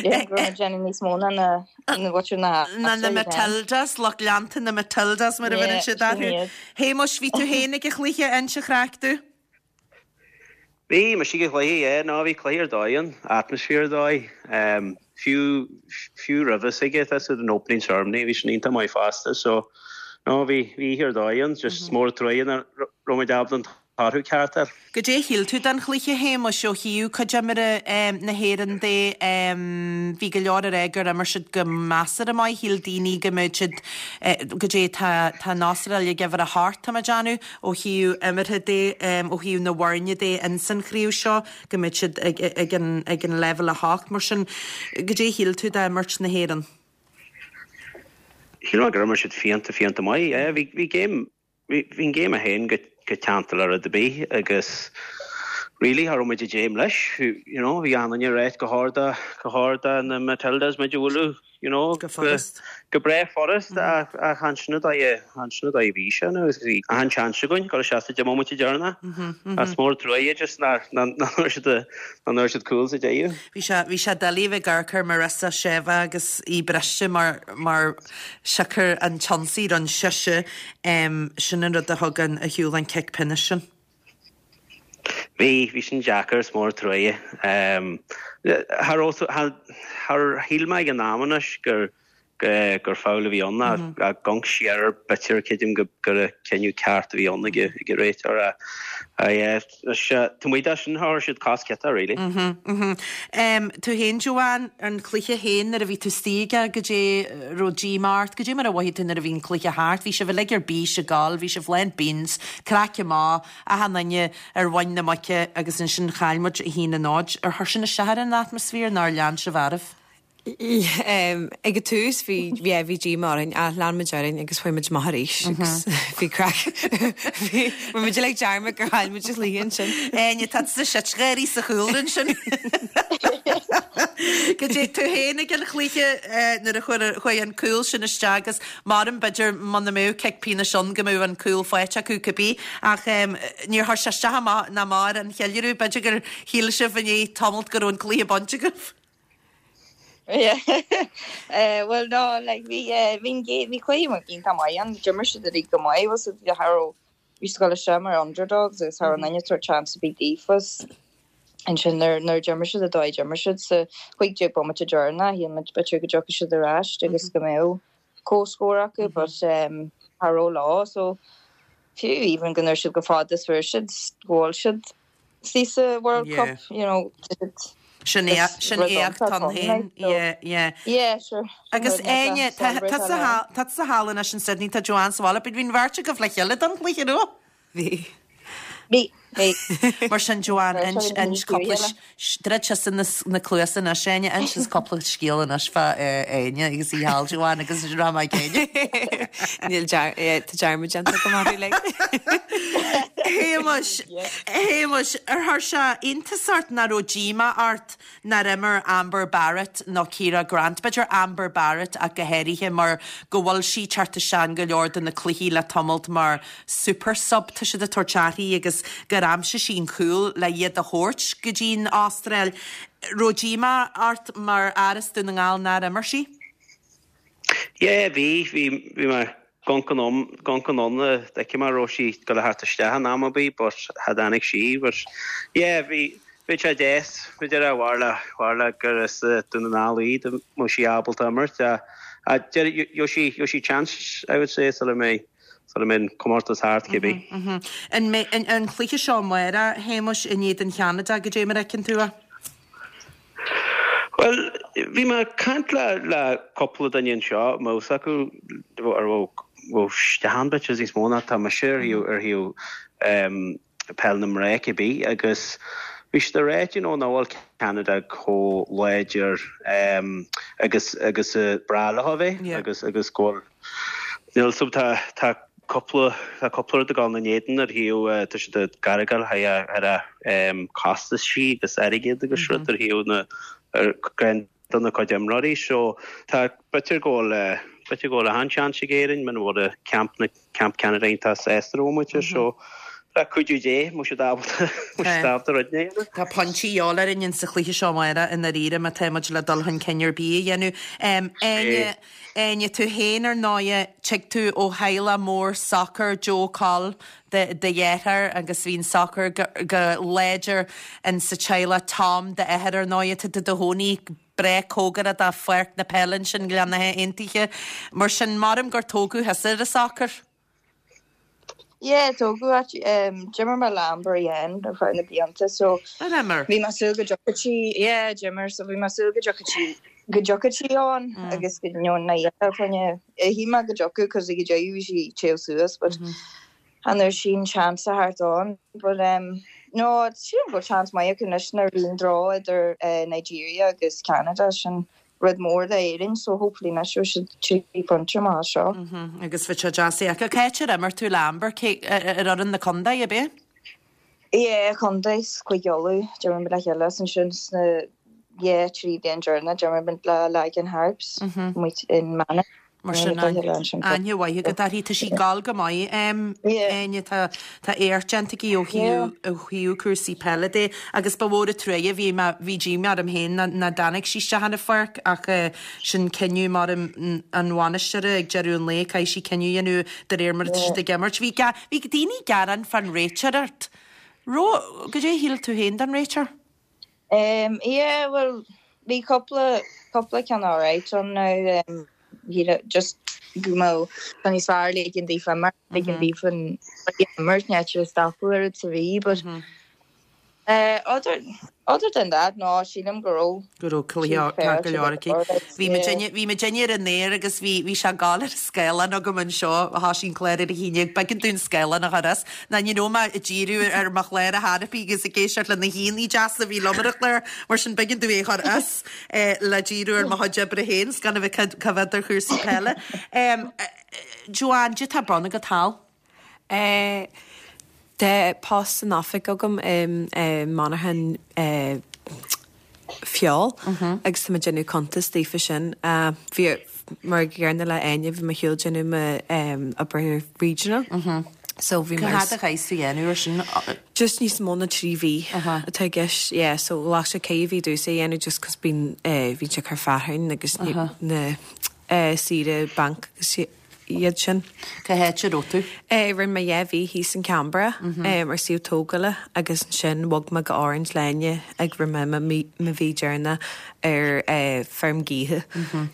Yeah, go raibh muid ag déanamh níos mó ná na na bhfuil na Ná na Matildas, lucht leanta na Matildas mar a bheireann siad orthu. Shéamuis, bhí tú féin ag an chluiche, inis an chraic domh. Bhí mise ag an chluiche, yeah, no, bhí cluiche ar dóigh ann, atmaisféar ar dóigh. Fiú, fiú roimhe s'aige, tá siad an opening ceremony, bhí sin iontach maith fosta, so, no, bhí, bhí oíche ar dóigh ann, just is mór an truaighe nach raibh muid ábalta an toradh ceart a fháil. Goidé a shíl tú den chluiche, Shéamuis, ó thaobh cuid imeartha na hÉireann de? Bhí go leor ag rá gur imir siad go measartha maith, shíl daoine go mbeadh siad, goidé tá, tá an Astráil ag uimhir 8, tá mé ag déanamh, ó thaobh imeartha de, ó thaobh na bhfoirne de ins an chraobh seo, go mbeadh siad ag, ag an, ag an leibhéal 8. Mar sin, goidé a shíl tú d'imirt na hÉireann? Shíl mé gur imir siad fiánta, fiánta maith. Yeah, bhí, bhí game, Bhí an game féin go teannta le rud ar bith agus really cha raibh muid ag dréim leis, you know, bhí achan duine ag ráit go chóir do, go chóir do na Matildas muid a bhualadh, you know, go furast. Go breá furast ach chan sin an dóigh a, chan sin an dóigh a bhí sé now agus bhí achan seans againn dul isteach sa 10 mbomaite deireanach. Ach is mór an truaighe just nár, nár fhuair siad, nár fhuair siad cúl sa deireadh. Bhí sé, bhí sé doiligh a bheith ag amharc ar Marissa Sheva agus í briste mar, mar siocair an t-ionsaí a rinne sise, sin an rud a thug an, a shiúl an cic pionóis sin. Bhí, bhí sin deacair, is mór an truaighe. Char, char shíl mé ag an am anois gur. gur foul a bhí ann ach ag amharc siar b'fhéidir creidim gur cinneadh ceart a bhí ann ag an réiteoir. Taobh amuigh de sin chuir siad cos ciotach really. Tú féin Joanne, an cluiche féin nuair a bhí tú istigh aige goidé raibh díomá ort, goidé mar a mhothaigh tú nuair a bhí an cluiche thart, bhí sibh uilig ar bís ag gabháil, bhí sibh lán beans, craic amach, achan duine ar mhuin na muice agus ansin chaill muid 1-0. Ar chuir sin isteach ar an atmaisféar nó ar lean sibh oraibh? Ag an tús bhí yeah bhí díomá orainn ach lean muid orainn agus chuaigh muid amach arís agus bhí craic bhí bhí muid uilig dearmad gur chaill muid an chluiche ansin. Áine tá tusa sitgháirí sa chúlra ansin. Goidé tú féin ag an chluiche nuair a chuir chuaigh an cúl sin isteach agus maram b'fhéidir muna mbeadh cic pionóis ann go mbeadh an cúl faighte acu cibé ach níor chuir sé isteach amach ná amach ar an cheiliúradh b'fhéidir gur shíl sibh i ndiaidh tamalt go raibh an cluiche bainte agaibh. Yeah. Eh, well no, like bhí eh, bhí an gé- bhí cluiche iontach maith ann, d'imir siad uilig go maith, was it cha raibh bhí siad ag dul isteach mar underdogs agus cha raibh aon duine ag tabhairt chance ar bith daofa. Ansin nuair nuair d'imir siad an dóigh a d'imir siad sa 15 bomaite deireanach, shíl muid b'fhéidir go dtiocfadh siad ar ais agus go mbeadh comhscór acu but um, cha raibh leo so fiú even go ndúirt siad chomh fada is fuair siad go bhfuil siad istigh sa World Cup, you know, Sin é, sin éacht ann féin, yeah, yeah. Yeah, sure. Agus Áine, tá tusa thall anois in Sydney, tá Joanne sa bhaile, bhí an bheirt agaibh le chéile don chluiche, an raibh? Bhí. Bhí, bhí. Mar sin Joanne, inis, inis cúpla, druid tusa na cluasa anois Áine, inis cúpla scéal anois fá Áine agus í thall Joanne agus rachaidh mé ag Áine. Níl dear, tá dearmad déanta agam orthu like. Shéamais, Shéamais, ar chuir sé iontas ort nach raibh díomá ort nár imir Amber Barrett nó Ciara Grant, b'fhéidir Amber Barrett ach go háirithe mar go bhfuil sí ag teacht isteach in go leor de na cluichí le tamalt mar super sub, tá siad ag tabhairt uirthi agus gur aimsigh sí an cúl le iad a thabhairt go dtí an Astráil. Raibh díomá ort mar fhear as Dún na nGall nár imir sí? Yeah, bhí, bhí, bhí mé ag amharc anonn, ag amharc anonn d'fheice mé raibh sí ag dul a theacht isteach in am ar bith but cha dtáinig sí but yeah, bhí, bhí sé deas, b'fhéidir a b'fhearr le, b'fhearr le gur as Dún na nGall í dá mbeadh sí ábalta imirt ach gheobhaidh sí, gheobhaidh sí chance I would say sula mbeidh, sula mbeidh an comórtas thart cibé. An mbeidh, an cluiche seo amárach, a Shéamais, in éadan Cheanada, goidé mar a fheiceann tú é? Bhuel, bhí mé ag caint le le cúpla duine anseo, a mbeadh fhios acu, ar bhfuil isteach ann b'fhéidir níos mó ná atá mise ar thaobh ar thaobh peil na mná cibé agus bhí siad ag rá you know nach bhfuil Ceanada chomh láidir agus agus ba bhreá leo a bheith agus agus go bhfuil Níl 's tá tá cúpla tá cúpla rud ag dul ina n-éadan ar thaobh tá siad ag gargáil ar a costaisí agus airgead agus rud ar thaobh na ar do na cuid imreoirí so tá b'fhéidir go bhfuil b'fhéidir go bhfuil achan seans ag Éirinn muna bhfuil camp na camp Canada iontach sásta ar bhomaite so le cuidiú Dé mbeidh siad ábalta mbeidh siad ábalta rud a dhéanamh. Tá pointí de dhíobháil orainn in sa chluiche seo amárach i ndáiríre má tá muid le dul chun cinn ar bith a dhéanamh. Áine, Áine, tú féin ar ndóighe, tig tú ó theaghlach mór sacair, Joe Coll do dheartháir agus bhí an sacar go láidir in sa teaghlach, Tom d'athair ar ndóighe, tá tú i do chónaí breá cóngarach do pháirc na peile ansin i nGleann na hAontaithe. Mar sin, maram gur tógadh thusa ar an sacar. Yeah, tógadh actually. Um, d'imir mé le Amber Yen ar feadh na blianta, so Ar imir? bhí mé ag súil go dtiocfadh sí, yeah, d'imir, so bhí mé ag súil go dtiocfadh sí, go dtiocfadh sí ann agus go you know, na oíche choinne, shíl mé go dtiocfadh cos ag an deireadh bhí sí ag téamh suas, but chan fhuair sí an chance a theacht ann, but um, no, sílim go bhfuil chance maith acu anois nuair a bhí an draw idir eh, Nigeria agus Canada, sin rud mór d'Éirinn so hopefully anois gheobhaidh siad 3 phointe amach as seo. Agus bheadh sé deas é a fheiceáil. Cá háit ar imir tú le Amber? Cé, ar fhoireann na contae, ab ea? Yeah, contae, Cúige Uladh, d'imir muid le chéile is ansin sna yeah, 3 bhliain deireanach d'imir muid le Lagan Harps amuigh in Manainn. Mar sin, aithne mhaith agat uirthi. Tá sí ag gabháil go maith, Áine. Tá éacht déanta aici ó thaobh cúrsaí peile de agus ba mhór an truaighe, bhí mé, bhí díomá orm féin nach dtáinig sí isteach ar an pháirc ach sin cinneadh maram an bhainisteora ag deireadh an lae, caithfidh sí cinneadh a dhéanamh de réir mar atá siad ag imirt. Bhí bhí daoine ag gearán fán réiteoireacht. Raibh, goidé a shíl tú féin den réiteoir? Yeah, bhuel, bhí cúpla, cúpla ceann alright ann now. just go mbeadh tá níos fearr ligean daofa imirt, ligean daofa an imirt, ní áit a stopadh oiread sa mhí but other other than that no sílim go raibh go raibh cluiche ceart go leor aici. Bhí muid inne bhí muid inne ar an aer agus bhí bhí sé ag gabháil ar an scáileán agam anseo thoisigh an clár ar a haon déag b'éigean dom an scáileán a chur as ná ní raibh mé ag díriú ar mo chlár ar chor ar bith agus ag éisteacht le na haíonna deasa a bhí liom ar an chlár mar sin b'éigean dom é a chur as le díriú ar mo chuid oibre féin 's gan a bheith cá bhfios ar chúrsaí peile. Joanne, caidé tá ar bun agat thall. Tá post san oifig agam i monarchan feoil agus tá mé ag déanamh cuntas daofa sin. Bhí, mar an gcéanna le Áine, bhí mé ar shiúl ag déanamh m'obair regional. So bhí mé. Cá fhad a chaithfeas tú a dhéanamh ar sin? Just níos mó ná 3 mhí atá i gceist, yeah. So ghlac sé ceithre mhí domhsa a dhéanamh just 'cause bíonn, bhíonn sé ag cur fearthainn agus na saoire banc agus iad sin. Cá háit a raibh tú? Rinne mé 2 mhí thíos in Canberra ar suíomh tógála agus ansin bhog mé go Orange le Áine ag rinne mé mo mhí deireanach ar feirm gaoithe.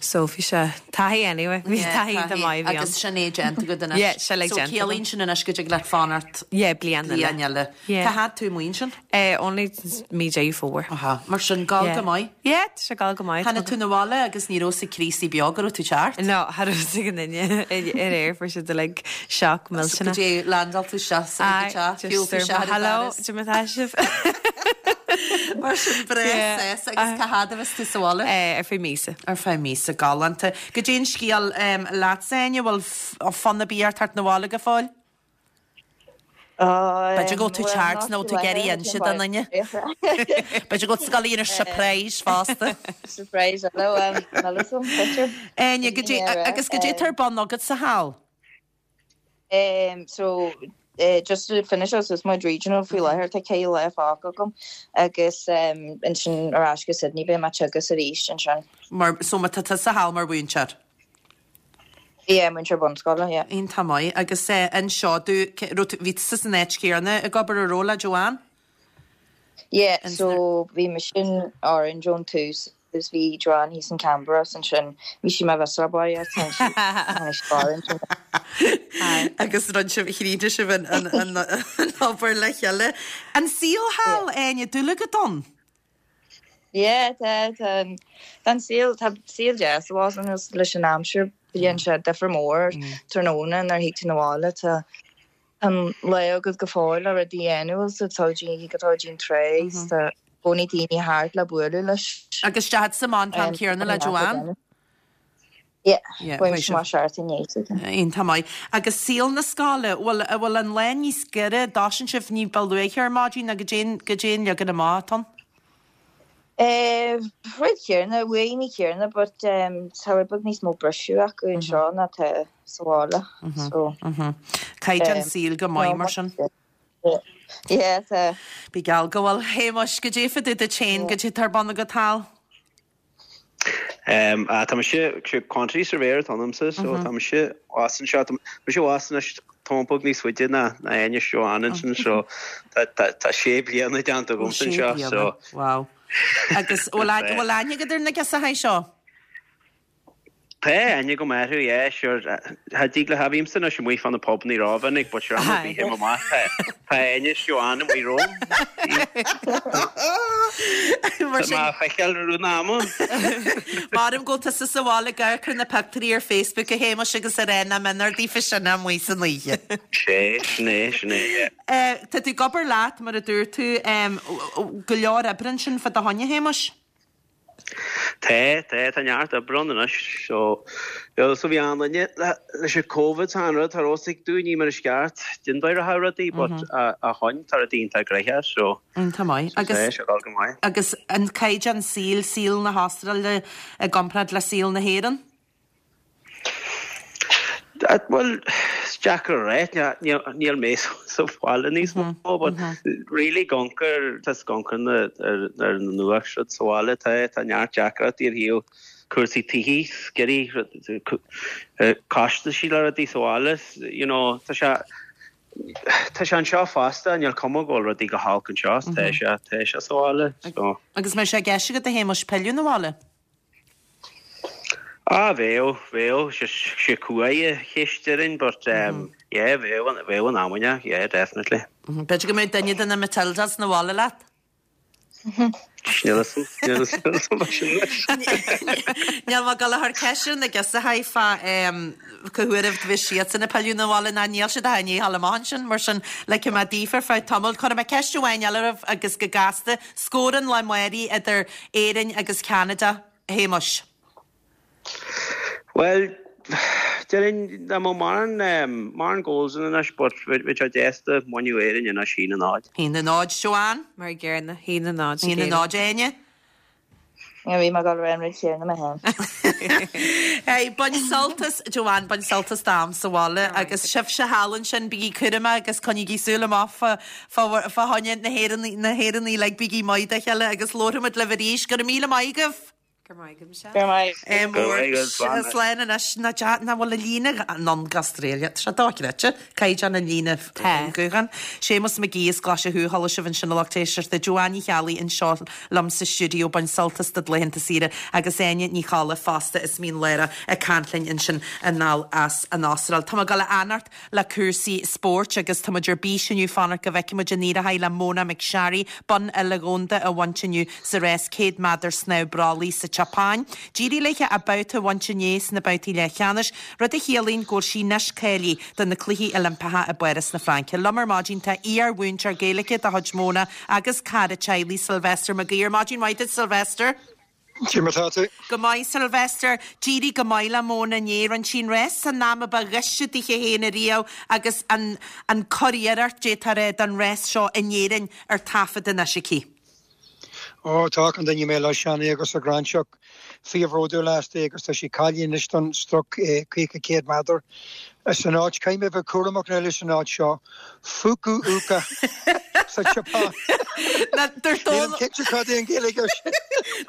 So bhí sé taithí anyway, bhí taithí iontach maith a bhí ann. Agus sin é déanta agat anois. Yeah, sin é So déanta agam. ciallaíonn sin anois go dtig leat fanacht Yeah, bliain eile. bliain eile. Yeah. Cá fhad tú amuigh ansin? Only mí Deireadh Fómhair. Aha, mar sin, gabháil go maith. Yeah, tá sé ag gabháil go maith. Tháinig tú 'na bhaile agus ní raibh 's ag Críostaí beo go raibh tú teacht. No, cha raibh 's ag aon duine aréir, fuair siad uilig shock millteanach. Go dtí landáil tú isteach sa ag an teach, shiúil tú isteach ar an Hello, doras. cad é mar atá sibh. Mar sin, breá sásta agus cá fhad a bheas tú sa bhaile? Ar feadh míosa. Ar feadh míosa, galánta. Goidé an scéal leatsa, Áine, bhfuil fonn ar bith ort teacht 'na bhaile go fóill? B'fhéidir go bhfuil tú teacht nó tú ag iarraidh inse do dhuine. B'fhéidir go bhfuil tú ag gabháil a dhéanamh surprise fosta. Surprise eile, níl 'fhios a'm, Áine, goidé, agus goidé atá ar bun agatsa thall? So, just to finish suas mo regional faoi láthair, tá ceithre lá fágtha agam agus ansin ar ais go Sydney beidh mé ag teagasc arís ansin. Mar, so má tá tusa thall mar mhúinteoir? Yeah, múinteoir bunscoile, yeah. Iontach maith. Agus anseo, do, raibh tú, bhí tusa san áit chéanna ag obair an raibh le Joanne? Yeah, so bhí mise in Orange ón tús agus bhí Joanne thíos in Canberra is ansin bhí sí mar bheas baile tá sí tháinig sí go Orange. Agus rinne sibh, chríochnaigh sibh an, an, an, an obair le chéile. An saol thall, Áine, dúil agat ann? Yeah, tá, tá, tá an saol, tá saol deas abhus anois leis an aimsir, dhéan sé difear mór tráthnóna nuair a thig tú 'na bhaile, tá an lá agat go fóill le rudaí a dhéanamh so tá tú go dtí an trá is tá i gcónaí daoine thart le bualadh leis. Agus d'fhan tú sa mban an t-am céanna le Joanne? Yeah, bhain sé amach seart inné. Iontach maith. Agus saol na scoile, bhfuil, an bhfuil an lá níos giorra, dtosaíonn sibh ní ba luaithe ar maidin nó goidé an, goidé an leagan amach atá ann? Eh, rud céanna, uaigní céanna, but tá rud beag níos mó briseadh acu anseo ná tá sa bhaile, so. Caighdeán saoil go maith mar sin. Yeah, tá. Bí geall go bhfuil. Shéamuis, goidé fá dtaobh duit féin, goidé atá ar bun agat thall? Tá mise, quantity surveyor atá ionamsa, so tá mise abhus anseo, tá mise abhus anois tamall beag níos faide ná Áine is Joanne ansin, so tá sé bliana déanta agamsa anseo, so. Wow. Agus bhfuil aithne agat ar na girseachaí seo? Tá aithne agam orthu, yeah, sure. Cha dtig le, bhímse anois amuigh fá na pubannaí rómhinic, but sure, am ar bith théim amach, tá tá Áine is Joanne amuigh romham. Mar Tá sin, mé á feiceáil i rith an ama. Maram go bhfuil tusa sa bhaile ag amharc ar na pictiúirí ar Facebook a Shéamais agus ag rá nach méanar daofa sin amuigh san oíche. Sé, sin é, sin é, yeah. Eh, tá tú ag obair leat, mar a dúirt tú, em, go leor oibre ansin fá do choinne, a Shéamais? Tá, tá, tá neart oibre ann anois. So, bhuel, so bhí an-duine leis an Covid tá an rud, tá raibh ag dúinn mar is ceart, den dóigh a rudaí, but ó shoin tá rudaí iontach gnoitheach, so. Iontach maith. So tá sé ag dul go maith. Agus an caighdeán saoil, saol na hAstráile i gcomparáid le saol na hÉireann? Bhuel, is deacair a rá, níl mé sa bhaile níos mó, but really ag amharc ar, tá ag amharc ar na nuacht siúd sa bhaile, tá, tá neart deacrachtaí ar thaobh cúrsaí tithe, sceirí, costaisí le rudaí sa bhaile, you know, tá sé, tá sé anseo fosta, níl cuma go bhfuil rudaí go holc anseo, tá sé, tá sé sa bhaile, so. Agus an mbeidh sé i gceist agat a Shéamuis pilleadh 'na bhaile? Ah bheadh, bheadh, sé cumhaidh a cheist déarfainn but yeah bheadh, bheadh in amanna, yeah definitely. B'fhéidir go mbeadh duine de na Matildas 'na bhaile leat? Níl 'fhios a'm, níl 'fhios a'm fá sin anois. Níl mé ag dul a chur ceist ar na girseachaí fá cá huair a bheas siadsan ag pilleadh 'na bhaile ná níl siad ach i ndiaidh a ghabháil amach ansin, mar sin ligfidh mé daoibh ar feadh tamaill. Cuirfidh mé ceist amháin eile oraibh agus go gasta, scór an lae amáirigh idir Éirinn agus Ceanada, a Shéamuis? Bhuel, déarfainn dá mbeadh mórán, mórán goals ann anois but bheadh sé deas dá mbainfeadh Éirinn anois 1-0. 1-0, Joanne? Mar an gcéanna, 1-0 ag Éirinn. 1-0, Áine? Bhí mé ag dul a rá an rud chéanna mé féin. Hey, bain sult as, Joanne, bain sult as d'am sa bhaile agus sibhse thall ansin, bígí cúramach agus coinnígí súil amach fá, fá, fá choinne na hÉireannaigh, na hÉireannaigh uilig, bígí maith dá chéile agus labharfaimid libh arís. Go raibh míle maith agaibh! Go raibh maith agat, Michelle. Go raibh maith agat. Go raibh maith agat, slán. Slán anois. Nach bhfuil an líne anonn go Australia. Tá sé dochreidte. Caighdeán an líne gutháin. Séamus Mac Aoidh as Glaise Thuaidh, chuala sibh ansin a lucht éisteachta. Joanne Ní Cheallaigh anseo liom sa stiúideo, bain sult as do laethanta saoire agus Áine Ní Cholla fosta as Mín Lárach ag caint linn ansin anall as an Astráil. Tá mé ag dul a fhanacht le cúrsaí spóirt agus tá muid ar bís inniu fanacht go bhfeicfidh muid an éireoidh le Mona McSharry bonn uile-dhomhanda a bhaint inniu sa rás 100 méadar snámh brollaigh sa tSeapáin. D'éirigh léi a babhta a bhaint inné sna babhtaí leathcheannais, rud a chiallaíonn go bhfuil sí anois cáilithe do na Cluichí Oilimpeacha i bPáras na Fraince. Liom ar maidin tá iar-mhúinteoir Gaeilge de chuid Mona agus cara teaghlaigh Sylvester Mag Uidhir. Maidin mhaith duit Sylvester. Cé mar tá tú? Go maith, Sylvester. D'éirigh go maith le Mona inné. Rinne sí an rás san am a ba ghaiste dithe féin ariamh agus an an curiarracht, d'fhéadfá a rá, don rás seo in Éirinn ar taifead anois aici. Ó, tá achan duine i mBéal Átha Seanaidh agus sa Ghráinseach fíorbhródúil aisti agus tá sí cáilithe anois don sprioc 50 100 méadar san áit. Caithfidh mé bheith cúramach now leis an áit seo. Fukuoka sa tSeapáin. Nílim cinnte cad é an Ghaeilge air sin.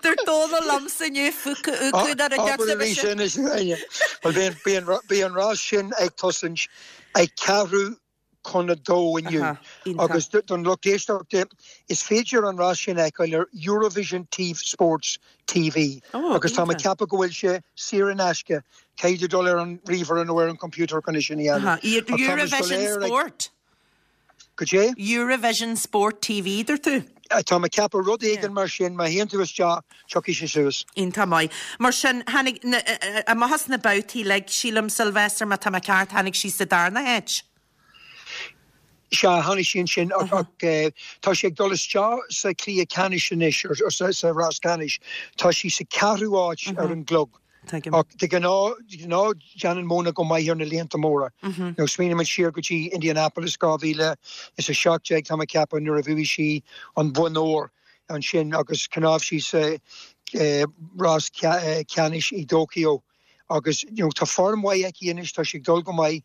Dúirt Dónal liomsa inniu Fukuoka nuair a deir Abair arís é anois, a Áine. Bhuel, beidh an rás sin ag tosaint ag ceathrú chun a dó inniu agus don lucht éisteachta, is féidir an rás sin a fheiceáil ar Eurovision Sports TV agus tá mé ag ceapadh go bhfuil sé saor in aisce. Caithfidh tú dul ar an ríomhaire nó ar an computer chun é sin a dhéanamh. Eurovision Sport? Cad é? Eurovision Sport TV, dúirt tú? Tá mé ag ceapadh rud éigin mar sin, má théann tú isteach, tiocfaidh sé suas. Iontach maith. Mar sin, tháinig, amach as na babhtaí uilig, sílim, Sylvester, má tá mé ceart, tháinig sí sa darna háit. Sea, tháinig sí ansin ach tá sí ag dul isteach sa chluiche ceannais anois, sa rás ceannais. Tá sí sa cheathrú háit ar an gclog. Ach de ghnáth, de ghnáth déanann Mona go maith ar na líonta móra. Nó smaoinímid siar go dtí Indianapolis 2017, tá mé ag ceapadh, nuair a bhuaigh sí an bonn óir ansin agus shnámh sí sa rás ceannais i dTóiceo. Agus you know tá form mhaith aici anois, tá sí ag dul go maith.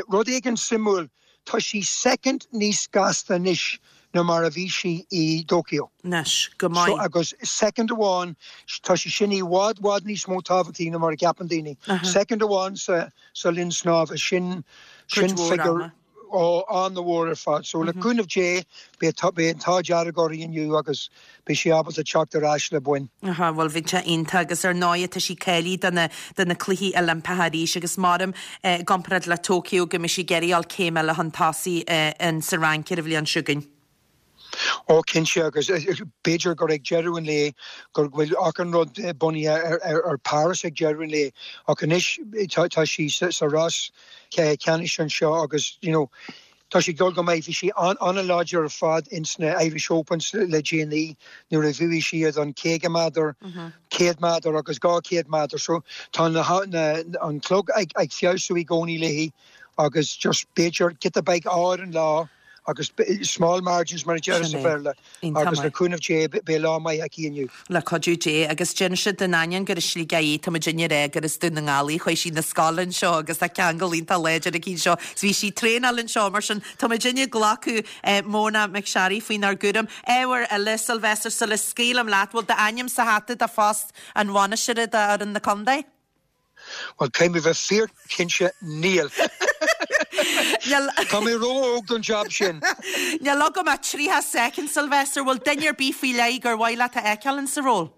Rud éigin suimiúil, tá sí soicind níos gasta anois ná mar a bhí sí i dTóiceo. Anois, go maith. So agus soicind amháin, tá sé sin i bhfad, bhfad níos mó tábhachtaí ná mar a cheapann daoine. Soicind amháin sa sa linn snámha, sin sin figiúr. Ó, an-mhór ar fad. So, le cúnamh Dé, beidh an t-ádh dearg uirthi inniu agus beidh sí ábalta teacht ar ais le boinn. Aha, bhuel bheadh sé iontach agus ar ndóigh tá sí cáilithe do na, do na Cluichí Oilimpeacha arís agus maram i gcomparáid le Tokyo go mbeidh sí ag iarraidh dul céim eile chun tosaigh in sa Fhrainc ar an bhliain seo chugainn. Ó, cinnte, agus b'fhéidir gur ag deireadh an lae go bhfuil achan rud bunaithe ar Paris ag deireadh an lae, ach anois tá sí sa rás ceannais anseo agus, you know, tá sí ag dul go maith. Bhí sí an-láidir ar fad ins na Irish Opens le déanaí nuair a bhuaigh sí iad an 50 méadar, 100 méadar agus 200 méadar. So tá an clog ag feabhsú i gcónaí léi agus just b'fhéidir giota beag ádh ar an lá. Agus small margins mar a deirtear sa Bhéarla. Agus le cúnamh Dé beidh lá maith aici inniu. Le cuidiú Dé. Agus d'inis in ainneoin gur as Sligeach í, tá muidinne ag rá gur as Dún na nGall í, chuaigh sí 'na scoile anseo agus tá ceangal iontach láidir aici anseo. Is bhí sí ag traenáil anseo mar sin tá muidinne ag glacadh Mona McSharry faoinár gcúram. Ábhar eile, Sylvester, sula scaoilim leat, bhfuil d'ainm sa hata do phost an bhainisteora d'fhoireann na contae? Bhuel, caithfidh mé bheith fíorchinnte, níl. Tá mé ró-óg don jab sin. Níl agam ach 30 soicind, Sylvester. Bhfuil duine ar bith faoi leith gur mhaith leat a fheiceáil in sa ról?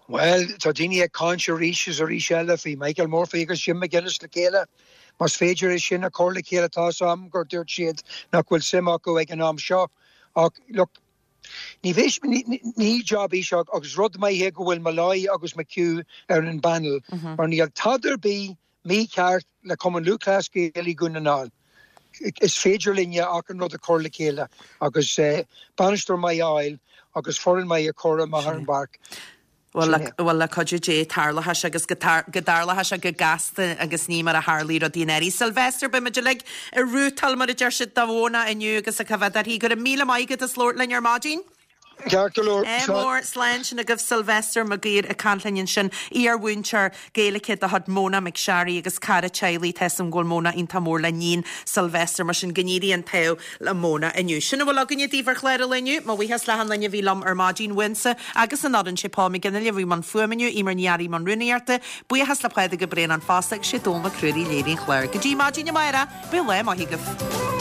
Bhuel, tá daoine ag caint arís is arís eile faoi Michael Murphy agus Jim McGuinness le chéile. Más féidir é sin a chur le chéile, tá 'fhios a'm gur dúirt siad nach bhfuil suim acu ag an am seo ach look, ní bheidh, ní job é seo agus rud maith é go bhfuil Molloy agus McHugh ar an bpanel mar níl tada ar bith mícheart le Cumann Lúthchleas Gael i Dhún na nGall. Is féidir linne achan rud a chur le chéile agus bainisteoir maith a fháil agus foireann maith a chur amach ar an bpáirc. Bhuel, le cuidiú Dé, tarlóidh sé agus go dtarlóidh sé go gasta agus ní mar a tharlaigh rudaí anuraidh. Sylvester, beidh muid uilig ag rútáil, mar a deir siad, do Mhóna inniu agus a coimhéad uirthi. Go raibh míle maith agat as labhairt linn ar maidin. Ceart go leor. Ádh mór, slán sin agaibh Sylvester Mac Uidhir ag caint linn ansin, iar-mhúinteoir Gaeilge de chuid Mona McSharry agus cara teaghlaigh, tá 'fhios a'm go bhfuil Mona iontach mór le níon Sylvester, mar sin go n-éirí an t-ádh le Mona inniu. Sin a bhfuil againne daoibh ar chlár an lae inniu. Mo bhuíochas le achan duine a bhí liom ar maidin, uaimse agus an fhoireann, sé Paul McGinley a bhí i mbun fuaime inniu, Eimear Ní Fhearraigh i mbun rúnaíochta, buíochas le Pádraig Ó Braonáin fosta agus sé Dónal Mac Ruairí a léirigh an clár. Go dtí maidin amárach, bíodh lá maith agaibh.